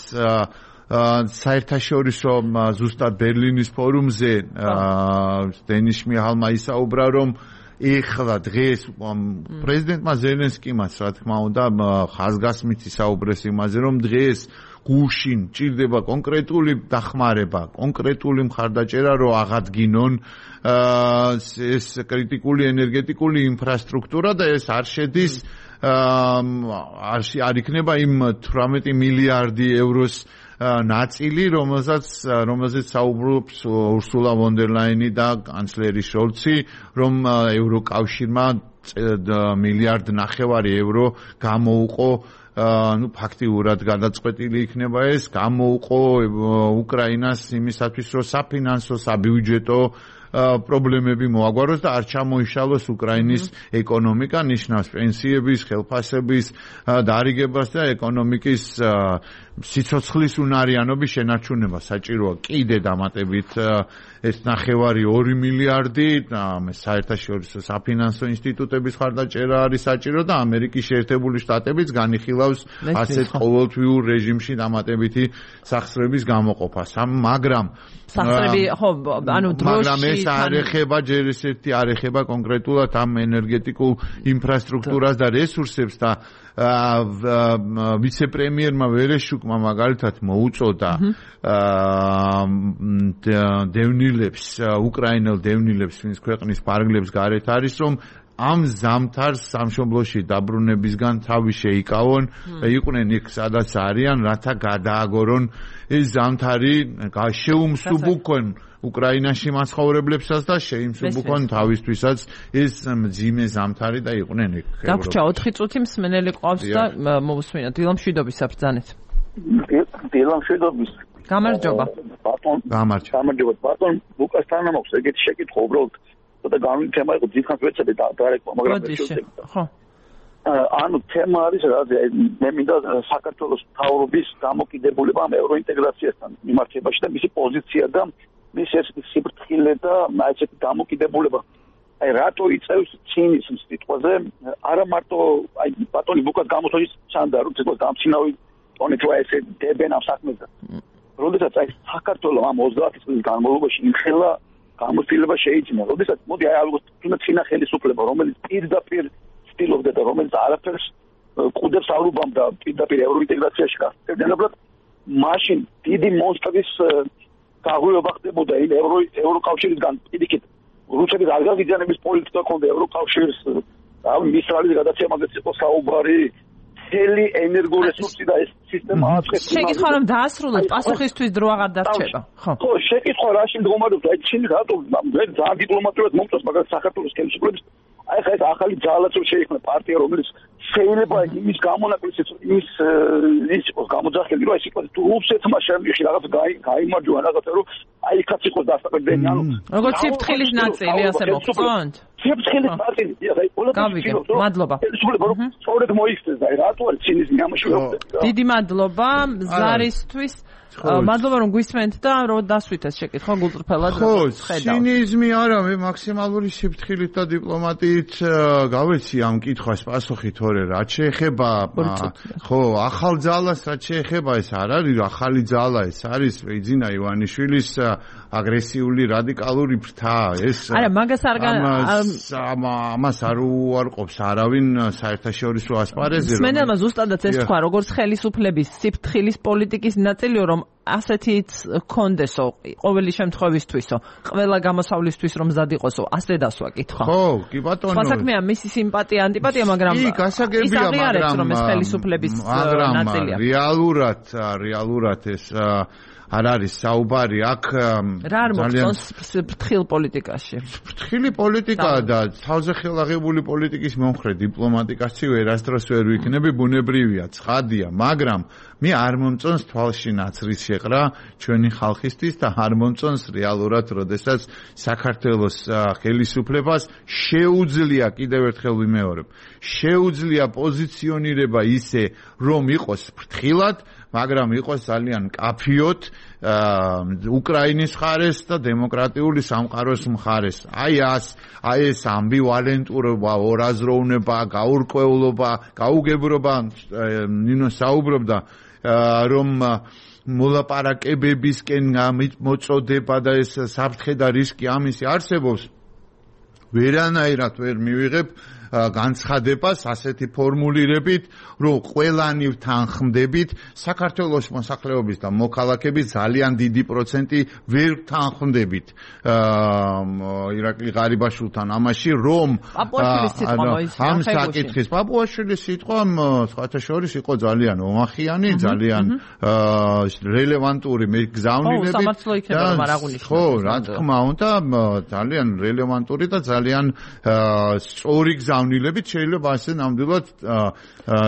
საერთაშორისო ზუსტად ბერლინის ფორუმზე დენის შმიჰალმა ისაუბრა, რომ ეხლა დღეს პრეზიდენტმა ზელენსკიმაც რა თქმა უნდა ხაზგასმით ისაუბრეს იმაზე, რომ დღეს გუშინ ჭირდება კონკრეტული დახმარება, კონკრეტული მხარდაჭერა, რომ აღადგინონ ეს კრიტიკული ენერგეტიკული ინფრასტრუქტურა და ეს არ შედის არ არ იქნება იმ თვრამეტი მილიარდი ევროს ნაწილი, რომელსაც რომელზეც საუბრობს ურსულა ვონ დერ ლაინი და კანცლერი შოლცი, რომ ევროკავშირმა მილიარდ ნახევარი евро გამოუყო, ну ფაქტიურად გადაწყვეტილი იქნება ეს, გამოუყო უკრაინას იმისათვის, რომ საფინანსო, საბიუჯეტო პრობლემები მოაგვაროს და არ ჩამოიშალოს უკრაინის ეკონომიკა, ნიშნავს პენსიების, ხელფასების დარიგებას და ეკონომიკის სიცოცხლის უნარიანობის შენარჩუნება საჭიროა კიდე დამატებით ეს ნახევარი ორი მილიარდი საერთაშორისო საფინანსო ინსტიტუტების მხარდაჭერა არის საჭირო და ამერიკის შეერთებული შტატებიც განიხილავს ასეთ ყოველთვიურ რეჟიმში დამატებითი სახსრების გამოყოფას. მაგრამ სახსრები ხო ანუ დროში ეს არ ეხება ჯერ ესეთი არ ეხება კონკრეტულად ამ ენერგეტიკულ ინფრასტრუქტურას და რესურსებს და ვიცე-პრემიერმა ვერეშუკმა მაგალითად მოუწოდა დევნილებს, უკრაინელ დევნილებს, ვინც ქვეყნის ფარგლებს გარეთ არის, რომ ამ ზამთარს სამშობლოში დაბრუნებისგან თავი შეიკავონ და იყვნენ იქ სადაც არიან, რათა გადააგორონ ეს ზამთარი, შეუმსუბუქონ უკრაინაში მაცხოვრებლებსაც და შეიმსუბუქონ თავისთვისაც ეს მძიმე ზამთარი და იყვნენ იქ. გაგვჭა ოთხი წუთი მსმენელი ყავს და მოვუსმინოთ დილამშვიდობის საფრთხანეთ. დილამშვიდობის. გამარჯობა. ბატონ. გამარჯობა. გამარჯობა. ბატონ ლუკასთან მაქვს ეგეთი შეკითხვა უბრალოდ და განვი თემა იყო ძირხანს ვეცადე და დარეკვა, მაგრამ შეგვიძლია. ხო. ანუ თემა არის რა, მე მინდა საქართველოს მთავრობის დამოკიდებულება ამ ევროინტეგრაციასთან მიმართებაში და მისი პოზიცია და მის ეს სიფრთხილე და ესეთი დამოკიდებულება. აი რატო იწევს ცინის სიტყვაზე, არა მარტო აი ბატონი ბუკას გამოთვლის ჩანდა, რომ ცოტა გამცინავი ტონით რა ესე დებენ ამ საქმეზე. როდესაც აი საქართველოს ამ ოცდაათი წლის განმავლობაში იმხელა გამოცდილება შეიძინა, როდესაც მოდი აი ალბათ თუნდაც წინა ხელისუფლება, რომელიც პირდაპირ ცდილობდა და რომელიც არაფერს ყუდებს არ უბამდა პირდაპირ ევროინტეგრაციაში გასაგებად, მაშინ დიდი მონსტრის გაღვივება ხდებოდა იმ ევრო ევროკავშირისგან პირიქით რუსეთის არგაზიძიანების პოლიტიკა ქონდა ევროკავშირის მისრალის გადაცემა მაგაც იყო საუბარი მთელი ენერგორესურსი და ეს სისტემა აწყვეტს. შეკითხვა რომ დაასრულოთ, პასუხისთვის დრო აღარ დარჩება. ხო. ხო, შეკითხვა რაში მდგომარეობს, აი ჩინი რატო მე ძალიან დიპლომატიურად მომწონს, მაგრამ საქართველოს ხელისუფლების აი ხა ეს ახალი ძალაც რომ შეიქმნა პარტია, რომელიც შეიძლება იმის გამონაკლისიც იმის ის იყოს გამოძახილი, რომ ეს იყოს თუ რუსეთმა შემდგომში რაღაც გაიმარჯვა რაღაცა, რომ აი იქაც იყოს დასაყრდენი, ანუ როგორც სიფრთხილის ნაწილი ასე მოგწონთ? სიფრთხილის ნაწილი, აი გავიგე, მადლობა. ხელისუფლება რომ სწორედ მოიქცეს, აი რატო არის ცინის ნამაში რომ დიდი მადლობა ზარისთვის. მადლობა რომ გვისმენთ და რომ დასვით ეს შეკითხვა გულწრფელად ხედავთ. ხო, ცინიზმი არა, მე მაქსიმალური სიფრთხილით და დიპლომატიით გავეცი ამ კითხვას პასუხი თორე რაც შეეხება ხო, ახალ ძალას რაც შეეხება ეს არ არის ახალი ძალა, ეს არის ეძინა ივანიშვილის აგრესიული რადიკალური ფრთა, ეს არა, მაგას არ ამას არ უარყოფს არავინ საერთაშორისო ასპარეზზე. სმენელმა ზუსტადაც ეს თქვა, როგორც ხელისუფლების სიფრთხილის პოლიტიკის ნაწილიო, რომ ასეთიც კონდესო ყოველი შემთხვევისთვისო, ყველა გამოსავლისთვის რომ მზად იყოსო, ასე დასვა კითხვა. ხო, კი ბატონო. სხვა საქმეა მისი სიმპათია, ანტიპათია, მაგრამ კი, გასაგებია, მაგრამ რომ ეს ხელისუფლების ნაწილია. რეალურად, რეალურად ეს არ არის საუბარი აქ რა არ მოწონს ფრთხილ პოლიტიკაში ფრთხილი პოლიტიკაა და თავზე ხელაღებული პოლიტიკის მომხრე დიპლომატიკაში ვერასდროს ვერ ვიქნები ბუნებრივია ცხადია მაგრამ მე არ მომწონს თვალში ნაცრის შეყრა ჩვენი ხალხისთვის და არ მომწონს რეალურად როდესაც საქართველოს ხელისუფლებას შეუძლია კიდევ ერთხელ ვიმეორებ შეუძლია პოზიციონირება ისე რომ იყოს ფრთხილად მაგრამ იყოს ძალიან კაფიოთ უკრაინის მხარეს და დემოკრატიული სამყაროს მხარეს. აი ას, აი ეს ამბივალენტურობა, ორაზროვნება, გაურკვევლობა, გაუგებრობა ნინო საუბრობდა რომ მოლაპარაკებებისკენ მოწოდება და ეს საფრთხე და რისკი ამისი არსებობს. ვერანაირად ვერ მივიღებ განცხადებას ასეთი ფორმულირებით, რომ ყველანი თანხმდებით საქართველოს მოსახლეობის და მოქალაქეების ძალიან დიდი პროცენტი ვერ თანხმდებით ირაკლი ღარიბაშვილთან ამაში, რომ ამ საკითხის პაპუაშვილის სიტყვა სხვათა შორის იყო ძალიან ომახიანი, ძალიან რელევანტური მეგზავნილებით ხო, რა თქმა უნდა, ძალიან რელევანტური და ძალიან სწორი გზა ნილებით შეიძლება ასე ნამდვილად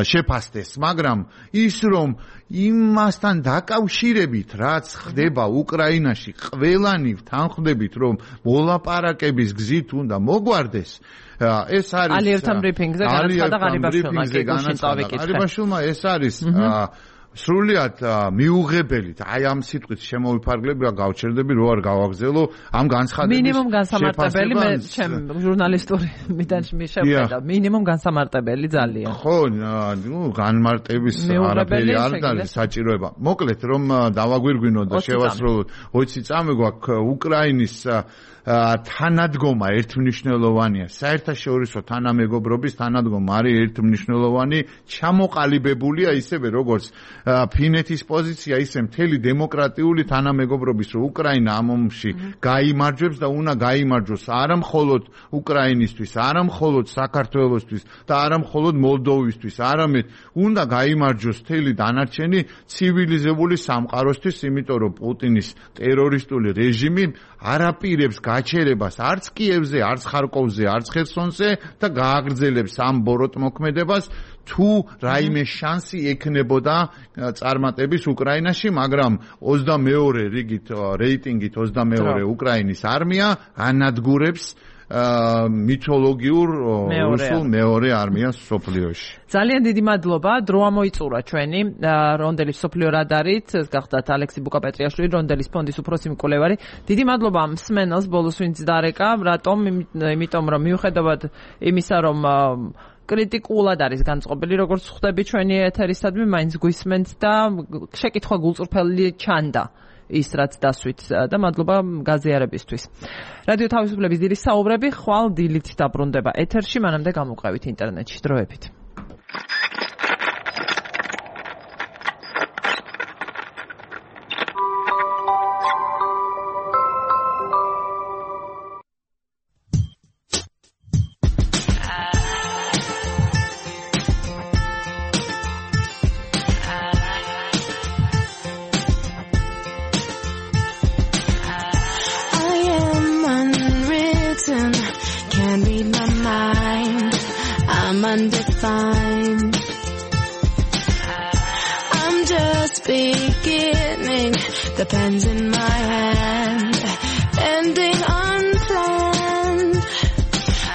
შეფასდეს, მაგრამ ის რომ იმასთან დაკავშირებით რაც ხდება უკრაინაში, ყველანი თანხმდებით რომ მოლაპარაკების გზით უნდა მოგვარდეს, ეს არის ალიევთან ბრიფინგზე განაცხადა ღარიბაშვილმა, ღარიბაშვილმა ეს არის სრულიად მიუღებელი და აი ამ სიტყვით შემოვიფარგლები, გავჩერდები, რო არ გავაგზელო ამ განცხადების მინიმუმ განსამარტებელი მე ჩემ ჟურნალისტური მიდანში მიშევდა მინიმუმ განსამარტებელი ძალიან ხო ნუ განმარტების არაფერი არ არის საჭიროება მოკლედ რომ დავაგვირგვინო და შევასრულოთ ოცი წამი გვაქვს უკრაინის თანადგომა ერთმნიშვნელოვანია საერთაშორისო თანამეგობრობის თანადგომა არის ერთმმნიშვნელოვანი ჩამოყალიბებულია ისევე როგორც ფინეთის პოზიცია ისე მთელი დემოკრატიული თანამეგობრობის რომ უკრაინა ამ ომში გაიმარჯვებს და უნდა გაიმარჯვოს არა მხოლოდ უკრაინისთვის არა მხოლოდ საქართველოსთვის და არა მხოლოდ მოლდოვისთვის არამედ უნდა გაიმარჯვოს მთელი დანარჩენი ცივილიზებული სამყაროსთვის იმიტომ რომ პუტინის ტერორისტული რეჟიმი არაპირებს გაჩერებას არც კიევზე, არც ხარკოვზე, არც ხერსონზე და გააგრძელებს ამ ბოროტ მოქმედებას თუ რაიმე შანსი ექნებოდა წარმატების უკრაინაში, მაგრამ ოცდამეორე რიგით რეიტინგით ოცდამეორე უკრაინის არმია ანადგურებს მითოლოგიურ რუსულ მეორე არმიას სოფლიოში. ძალიან დიდი მადლობა, დრო ამოიწურა ჩვენი რონდელის სოფლიო რადარით, გახდათ ალექსი ბუკაპეტრიაშვილი, რონდელის ფონდის უფროსი მკვლევარი. დიდი მადლობა მსმენელს, ბოლოს ვინც დარეკა, რატომ? იმიტომ რომ მიუხედავად იმისა, რომ კრიტიკულად არის განწყობილი, როგორც ხვდები ჩვენი ეთერისადმი, მაინც გვისმენთ და შეკითხვა გულწრფელი ჩანდა. ის რაც დასვით და მადლობა გაზიარებისთვის. რადიო თავისუფლების დიდი საუბრები ხვალ დილით დაბრუნდება ეთერში, მანამდე გამოვყევით ინტერნეტში დროებით. Undefined. I'm just beginning. The pen's in my hand, ending unplanned.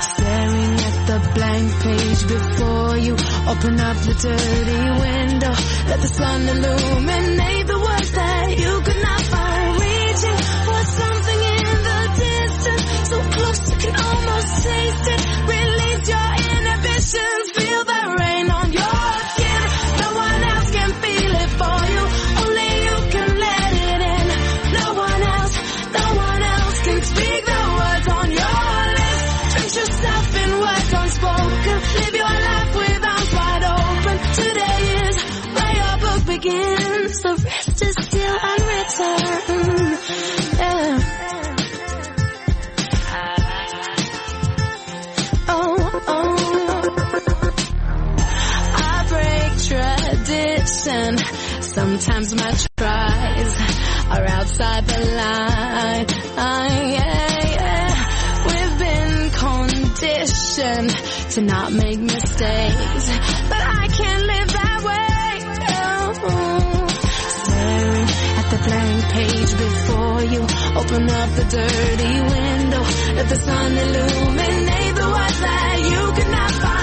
Staring at the blank page before you. Open up the dirty window. Let the sun illuminate the words that you could not find. Reaching for something in the distance, so close you can almost taste it. Release your inhibitions. Feel the rain on your skin. No one else can feel it for you. Only you can let it in. No one else, no one else can speak the words on your lips. Drench yourself in words unspoken. Live your life with arms wide open. Today is where your book begins. The rest is still unwritten. Yeah. Oh, oh. Tradition, sometimes my tries are outside the line. Yeah, yeah. We've been conditioned to not make mistakes, but I can't live that way. Oh. Staring at the blank page before you, open up the dirty window, let the sun illuminate the words that you could not find.